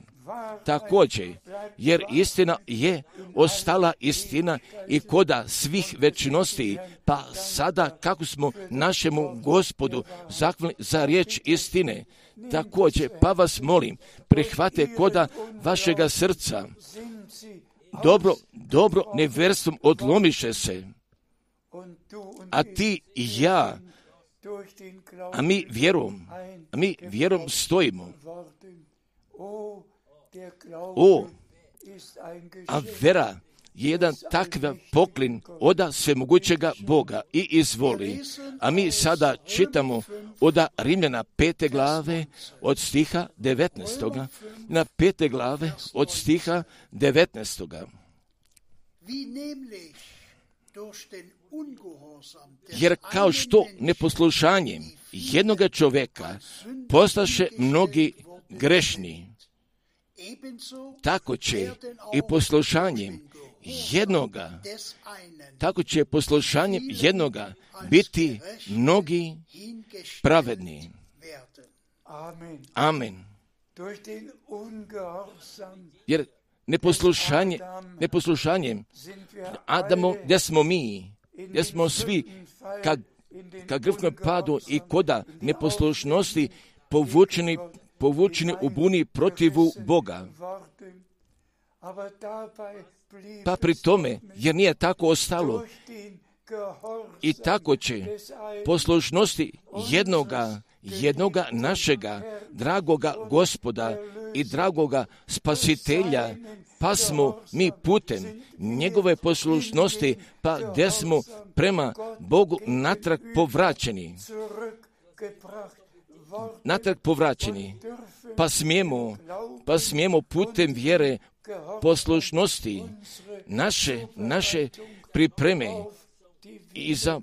Također, jer istina je ostala istina i koda svih večnosti, pa sada kako smo našemu Gospodu zahvalni za riječ istine, također, pa vas molim, prihvate koda vašega srca, dobro nevjerstvom odlomiše se, a ti i ja, a mi vjerom stojimo. A vera je jedan takav poklon od svemogućega Boga i izvoli. A mi sada čitamo od Rimljana 5. glave od stiha 19. Na 5. glave od stiha 19. Jer kao što neposlušanjem jednoga čovjeka postaše mnogi grešni, tako će i poslušanjem jednoga biti mnogi pravedni. Amen. Jer neposlušanjem Adamo, gdje smo svi ka grvnom padu i koda neposlušnosti povučeni u buni protivu Boga.
Pa pri tome, jer nije tako ostalo,
I tako će poslušnosti jednoga našega dragoga Gospoda i dragoga Spasitelja, pa smo mi putem njegove poslušnosti, pa gdje smo prema Bogu natrag povraćeni, pa smijemo putem vjere poslušnosti naše pripreme i za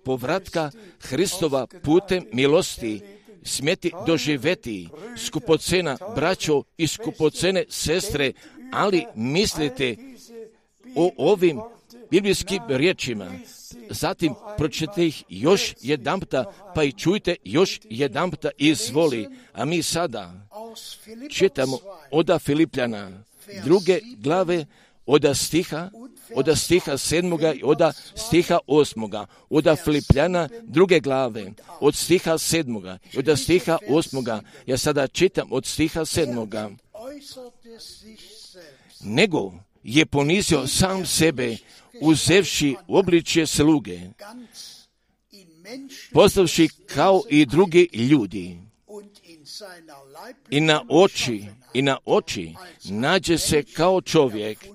povratka Hristova putem milosti smjeti doživjeti skupocena braćo i skupocene sestre, ali mislite o ovim biblijskim riječima. Zatim pročitajte ih još jedanputa, pa i čujte još jedanputa, izvoli. A mi sada čitamo od Filipljana 2. glave, od stiha 7. i od stiha 8. Od Filipljana 2. glave, od stiha 7. i od stiha 8. Ja sada čitam od stiha 7. Nego je ponizio sam sebe, uzevši obličje sluge, postavši kao i drugi ljudi, i na oči nađe se kao čovjek.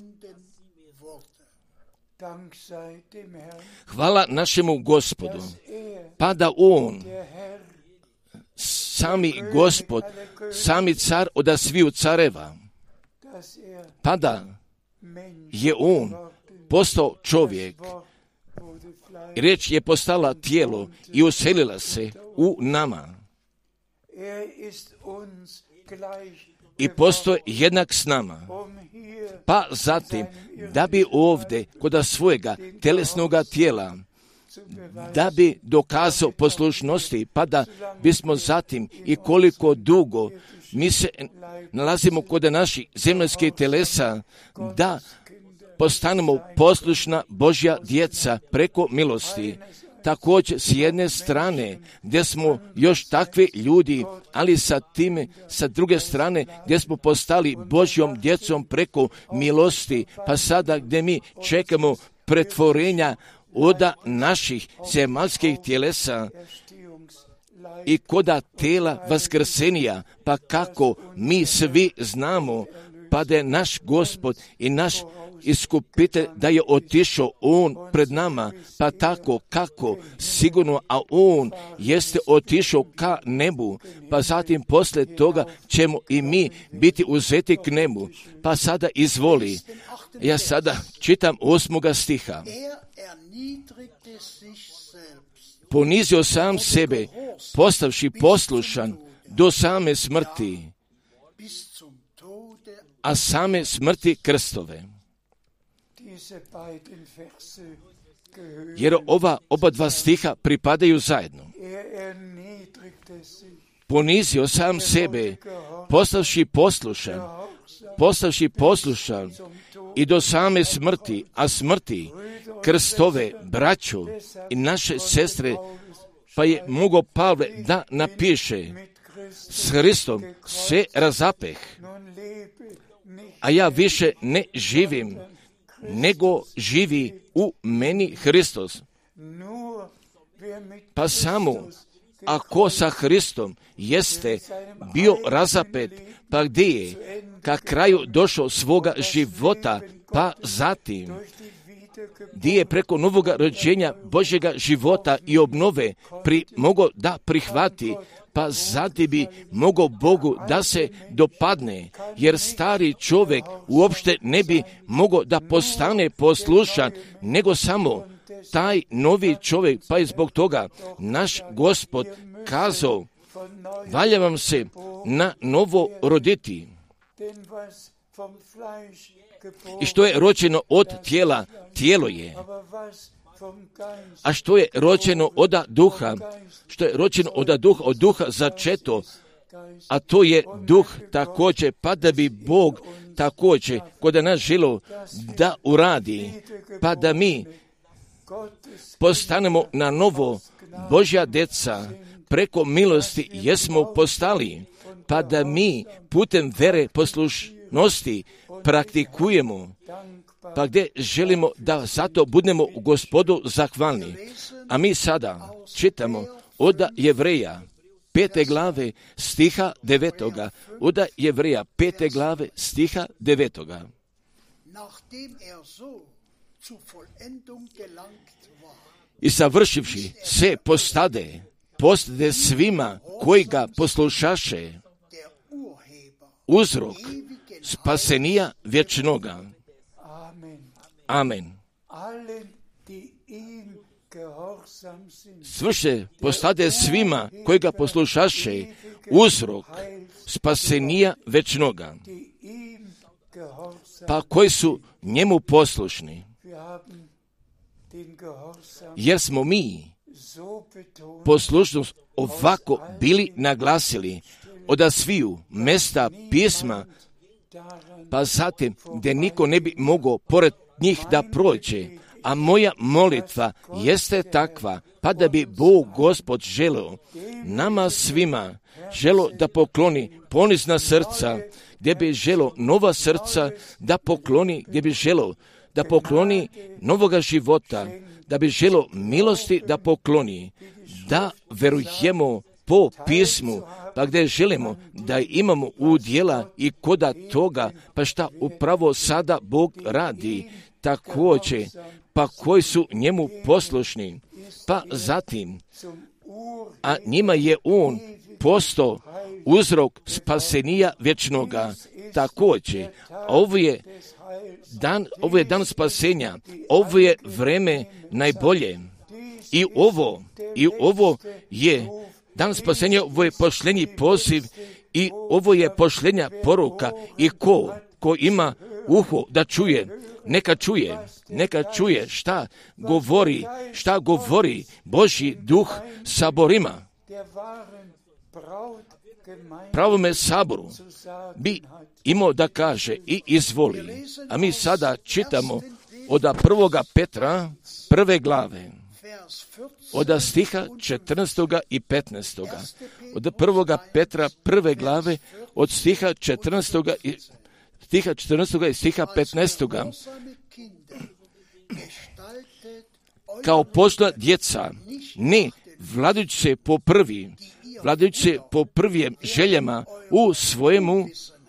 Hvala našemu Gospodu, pa da on, sami Gospod, sami car od sviju careva, pa da je on postao čovjek, riječ je postala tijelo i uselila se u nama. I postoje jednak s nama. Pa zatim, da bi ovdje kod svojega telesnoga tijela, da bi dokazao poslušnosti, pa da bismo zatim i koliko dugo mi se nalazimo kod naših zemaljskih telesa, da postanemo poslušna Božja djeca preko milosti. Također s jedne strane gdje smo još takvi ljudi, ali sa druge strane gdje smo postali Božjom djecom preko milosti, pa sada gdje mi čekamo pretvorenja od naših zemaljskih tjelesa i koda tela vaskrsenija, pa kako mi svi znamo, pa da je naš Gospod i naš Iskupitelj da je otišao on pred nama, pa tako kako sigurno, a on jeste otišao ka nebu, pa zatim poslije toga ćemo i mi biti uzeti k nebu. Pa sada izvoli, ja sada čitam 8. stiha. Ponizio sam sebe, postavši poslušan do same smrti, a same smrti krstove. Jer oba dva stiha pripadaju zajedno. Ponizio sam sebe, postavši poslušan i do same smrti, a smrti krstove, braćo i naše sestre, pa je mogao Pavle da napiše: s Hristom se razapeh, a ja više ne živim, nego živi u meni Hristos. Pa samo ako sa Hristom jeste bio razapet, pa gdje je ka kraju došao svoga života, pa zatim gdje je preko novoga rođenja Božjega života i obnove mogao da prihvati, pa zatim bi mogao Bogu da se dopadne, jer stari čovjek uopšte ne bi mogao da postane poslušan, nego samo taj novi čovjek, pa je zbog toga naš Gospod kazao: valja vam se na novo roditi. I što je rođeno od tijela, tijelo je. A što je rođeno od duha? Što je rođeno od duha začeto, a to je duh također, pa da bi Bog također kod nas želio da uradi, pa da mi postanemo na novo Božja djeca, preko milosti jesmo postali, pa da mi putem vere poslušnosti praktikujemo, pa gdje želimo da zato budemo u Gospodu zahvalni. A mi sada čitamo od Jevreja 5. glave stiha 9. Od Jevreja 5. glave stiha 9. I savršivši se postade svima koji ga poslušaše uzrok spasenija vječnoga. Amen. Svrše postade svima koji ga poslušaše uzrok spasenija večnoga, pa koji su njemu poslušni. Jer smo mi poslušnost ovako bili naglasili od sviju mesta pisma, pa zatim gdje niko ne bi mogao pored njih da prođe. A moja molitva jeste takva, pa da bi Bog Gospod želeo nama svima da pokloni ponizna srca, gdje bi želeo nova srca da pokloni, gdje bi želeo da pokloni novoga života, da bi želeo milosti da pokloni, da verujemo po pismu, pa gdje želimo da imamo udjela i koda toga, pa šta upravo sada Bog radi također, pa koji su njemu poslušni, pa zatim, a njima je on postao uzrok spasenija vječnoga također. Ovo je dan spasenja, ovo je vreme najbolje. I ovo je dan spasenja, ovo je pošljenji poziv i ovo je pošljenja poruka. I ko ima uho da čuje, neka čuje šta govori Božji duh saborima. Pravome saboru bi imao da kaže i izvoli. A mi sada čitamo od 1. Petra 1. glave, od stiha 14. i 15. Od 1. Petra 1. glave, od stiha 14. i stiha 15. Kao posla djeca, ne vladajući se po prvim željama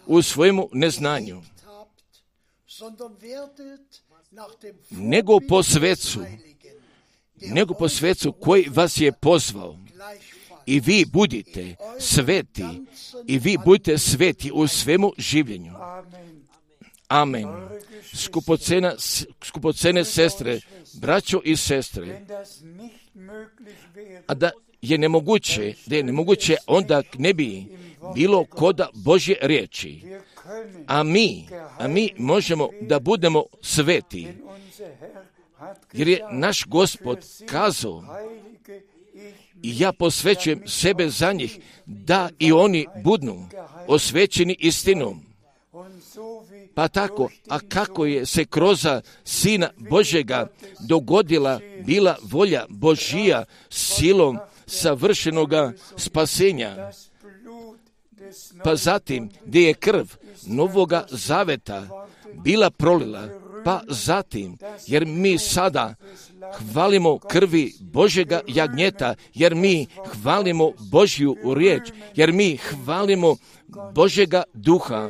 u svojemu neznanju, nego po svecu koji vas je pozvao. I vi budite sveti u svemu življenju. Amen. Skupocene sestre, braćo i sestre, a da je nemoguće, onda ne bi bilo koda Božje riječi. A mi možemo da budemo sveti, jer je naš Gospod kazao, i ja posvećujem sebe za njih, da i oni budu osvećeni istinom. Pa tako, a kako je se kroz Sina Božjega dogodila bila volja Božija silom savršenoga spasenja, pa zatim gdje je krv Novoga Zaveta bila prolila, pa zatim, jer mi sada hvalimo krvi Božjega jagnjeta, jer mi hvalimo Božju riječ, jer mi hvalimo Božjega duha,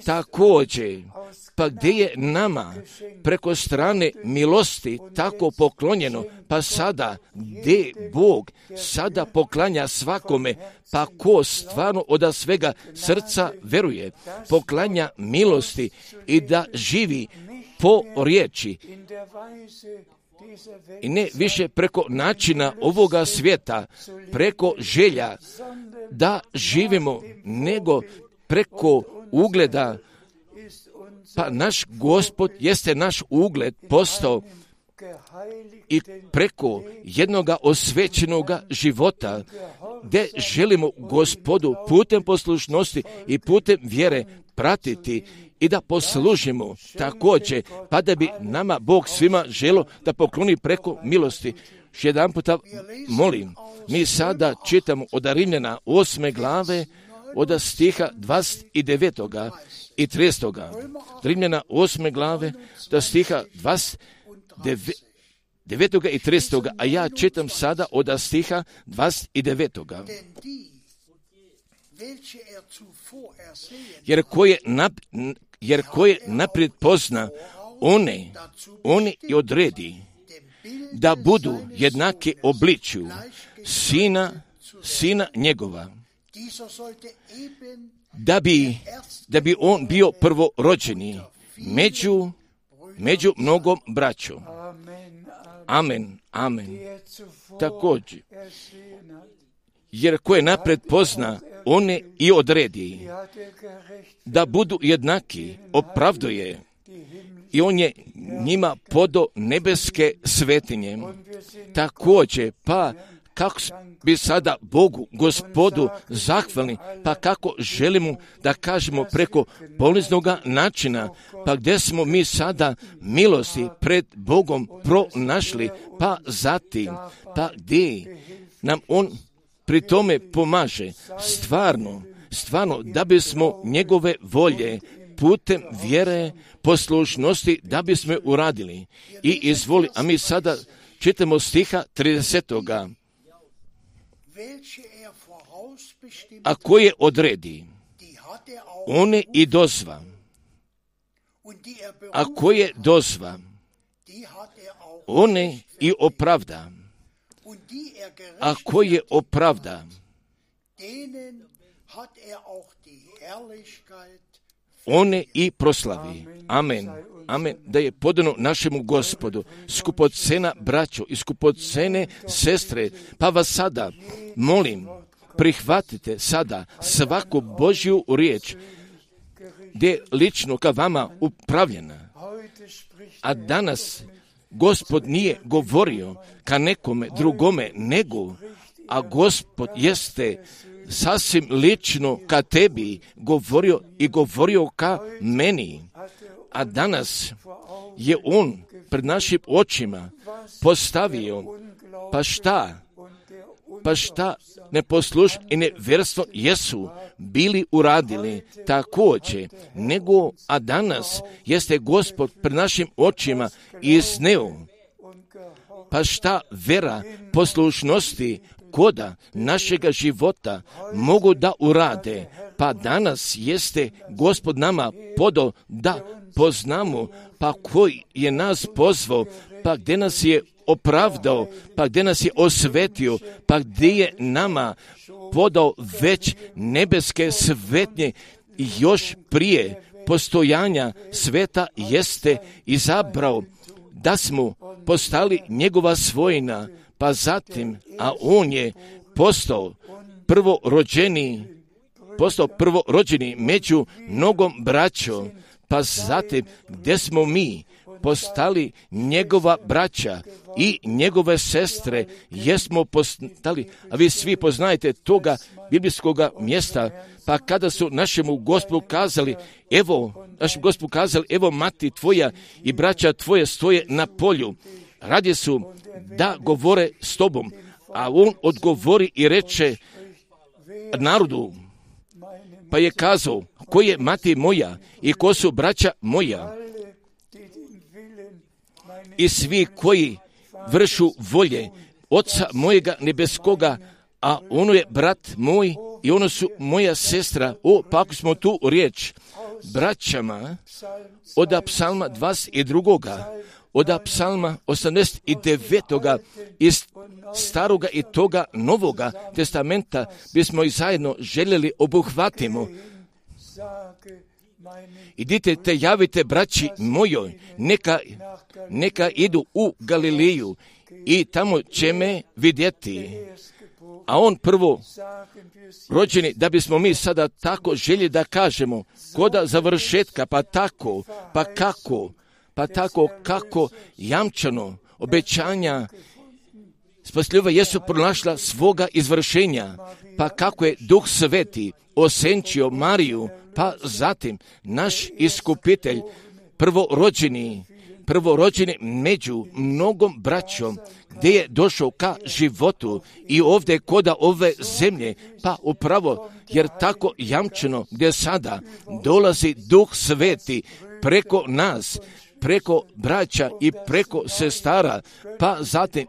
također, pa gdje je nama preko strane milosti tako poklonjeno, pa sada gdje Bog sada poklanja svakome, pa ko stvarno od svega srca veruje, poklanja milosti i da živi po riječi i ne više preko načina ovoga svijeta, preko želja da živimo, nego preko ugleda. Pa naš Gospod jeste naš ugled postao i preko jednoga osvećenoga života, gdje želimo Gospodu putem poslušnosti i putem vjere pratiti i da poslužimo također, pa da bi nama Bog svima želio da pokloni preko milosti. Još jedan puta molim, mi sada čitamo od Rimljana 8. glave, od stiha 29. i 30. Rimljana 8. glave, do stiha 29. i 30. A ja čitam sada od stiha 29. Jer koje naprijed pozna, one i odredi, da budu jednaki obličju sina njegova, da bi on bio prvorođeni među mnogom braćom. Amen, amen. Također, jer koje naprijed pozna, one i odredi, da budu jednaki, opravduje, i on je njima podo nebeske svetinje. Također, pa kako bi sada Bogu, Gospodu, zahvalni, pa kako želimo da kažemo preko poliznoga načina, pa gdje smo mi sada milosti pred Bogom pronašli, pa zatim, pa gdje nam On pri tome pomaže, stvarno, da bismo njegove volje putem vjere, poslušnosti, da bismo uradili. I izvoli, a mi sada čitamo stiha 30. A koje odredi, one i dozva. A koje dozva, one i opravda. A koje opravda, one i proslavi. Amen. Amen. Da je podano našemu Gospodu, skupocena braćo i skupocene sestre, pa vas sada molim, prihvatite sada svaku Božju riječ, gdje je lično ka vama upravljena. A danas Gospod nije govorio ka nekome drugome nego, a Gospod jeste sasvim lično ka tebi govorio ka meni. A danas je On pred našim očima postavio, pa šta neposlušni i nevjerstvo jesu bili uradili također, nego, a danas jeste Gospod pred našim očima izneo, pa šta vera poslušnosti koda našega života mogu da urade, pa danas jeste Gospod nama podao da poznamo, pa koji je nas pozvao, pa gdje nas je opravdao, pa gdje nas je osvetio, pa gdje je nama podao već nebeske svetnje i još prije postojanja sveta jeste izabrao da smo postali njegova svojina, pa zatim, a on je postao prvorođeni među mnogom braćom, pa zatim gdje smo mi postali njegova braća i njegove sestre, jesmo postali, a vi svi poznajete toga biblijskoga mjesta, pa kada su našemu Gospodu kazali, evo mati tvoja i braća tvoje stoje na polju, radi su da govore s tobom, a on odgovori i reče narodu, pa je kazao, ko je mati moja i ko su braća moja, i svi koji vršu volje Oca mojega nebeskoga, a ono je brat moj i ono su moja sestra. Pa ako smo tu riječ braćama od psalma 22. od psalma 89. iz staroga i toga novoga testamenta bismo i zajedno željeli obuhvatimo. Idite te javite braći mojoj, neka idu u Galileju i tamo će me vidjeti. A on prvo rođeni, da bismo mi sada tako željeli da kažemo, koda završetka, pa tako kako jamčano obećanja spasljiva jesu pronašla svoga izvršenja, pa kako je Duh Sveti osenčio Mariju, pa zatim naš iskupitelj prvorođeni, prvorođeni među mnogom braćom, gdje je došao ka životu i ovdje koda ove zemlje, pa upravo, jer tako jamčeno gdje sada dolazi Duh Sveti preko nas, preko braća i preko sestara, pa zatim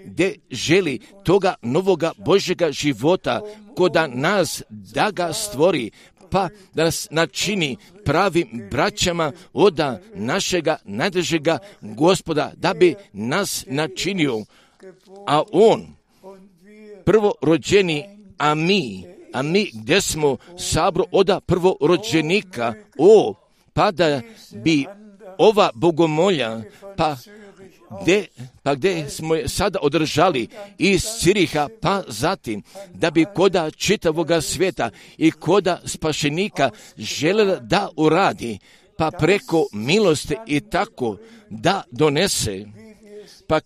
gdje želi toga novoga Božjega života koda nas da ga stvori, pa da nas načini pravim braćama od našega najdražega Gospoda, da bi nas načinio, a On prvorođeni, a mi gdje smo sabro oda prvorođenika, pa da bi ova bogomolja, gdje smo je sada održali iz Ciriha, pa zatim da bi koda čitavoga svijeta i koda spašenika željela da uradi, pa preko milosti i tako da donese, pa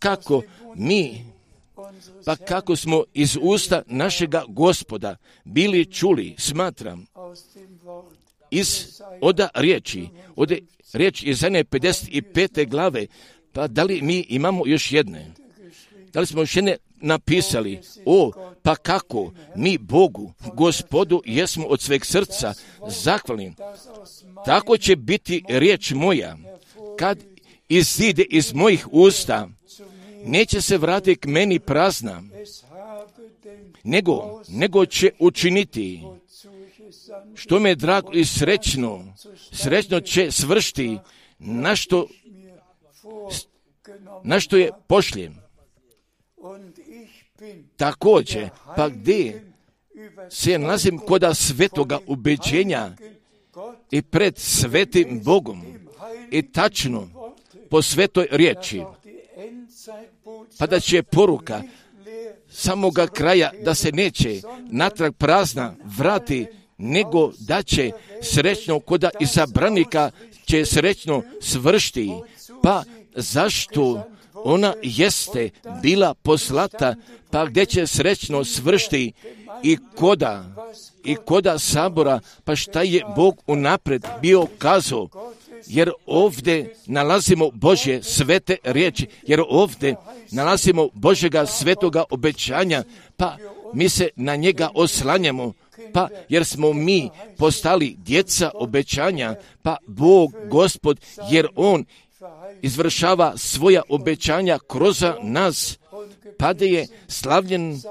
kako smo iz usta našega Gospoda bili čuli, smatram, od riječ Izaije 55. glave, pa da li mi imamo još jedne? Da li smo još jedne napisali? Pa kako mi Bogu, Gospodu, jesmo od sveg srca zahvalni. Tako će biti riječ moja, kad izide iz mojih usta, neće se vratiti k meni prazna, nego će učiniti što me je drago i srećno će svršiti na što je pošljem. Također, pa gdje se nalazim koda svetoga ubeđenja i pred svetim Bogom i tačno po svetoj riječi, pa da će poruka samoga kraja da se neće natrag prazna vrati, nego da će srećno koda izabranika će srećno svršiti, pa zašto ona jeste bila poslata, pa gdje će srećno svršiti i koda sabora, pa šta je Bog unaprijed bio kazao, jer ovdje nalazimo Božje svete riječi, jer ovdje nalazimo Božjega svetoga obećanja, pa mi se na njega oslanjamo, pa jer smo mi postali djeca obećanja, pa Bog, Gospod, jer On izvršava svoja obećanja kroz nas, pa da je slavljen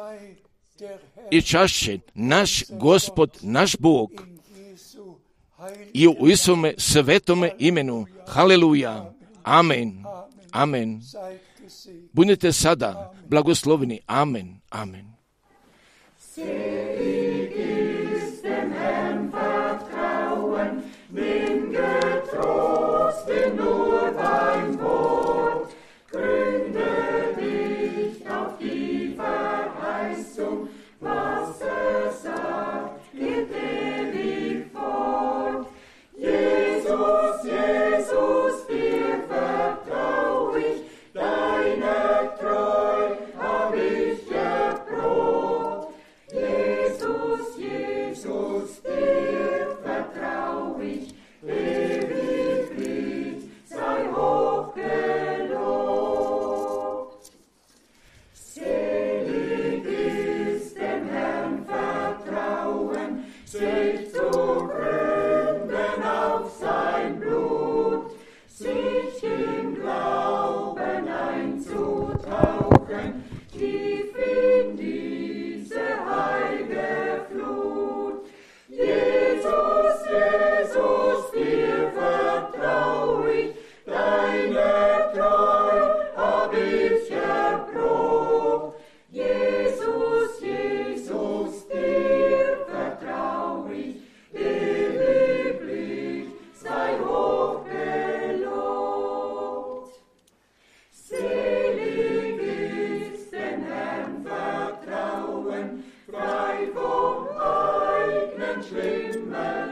i čašćen naš Gospod, naš Bog, i u Isome svetome imenu. Haleluja. Amen. Amen. Budite sada blagosloveni. Amen. Amen.
Selig ist dem Herrn vertrauen, nimm getrost in nur dein Wort, gründe dich auf die Verheißung, was sagt, geht ewig fort. Jesus, Jesus, dir vertrau ich, deine Treu hab ich erprobt. Jesus, Jesus, dir vertrau ich, ewiglich sei hoch gelobt. Selig ist dem Herrn vertrauen, sich zu gründen auf sein Blut, sich im Glauben einzutauchen, tief in diese heilige Flut. Jesus, Jesus, dir vertrau ich, deine Treu hab ich erprobt. Jesus, Jesus, dir vertrau ich, ewiglich sei hoch gelobt. Selig ist dem Herrn vertrauen, frei vom eigenen Schlimmen.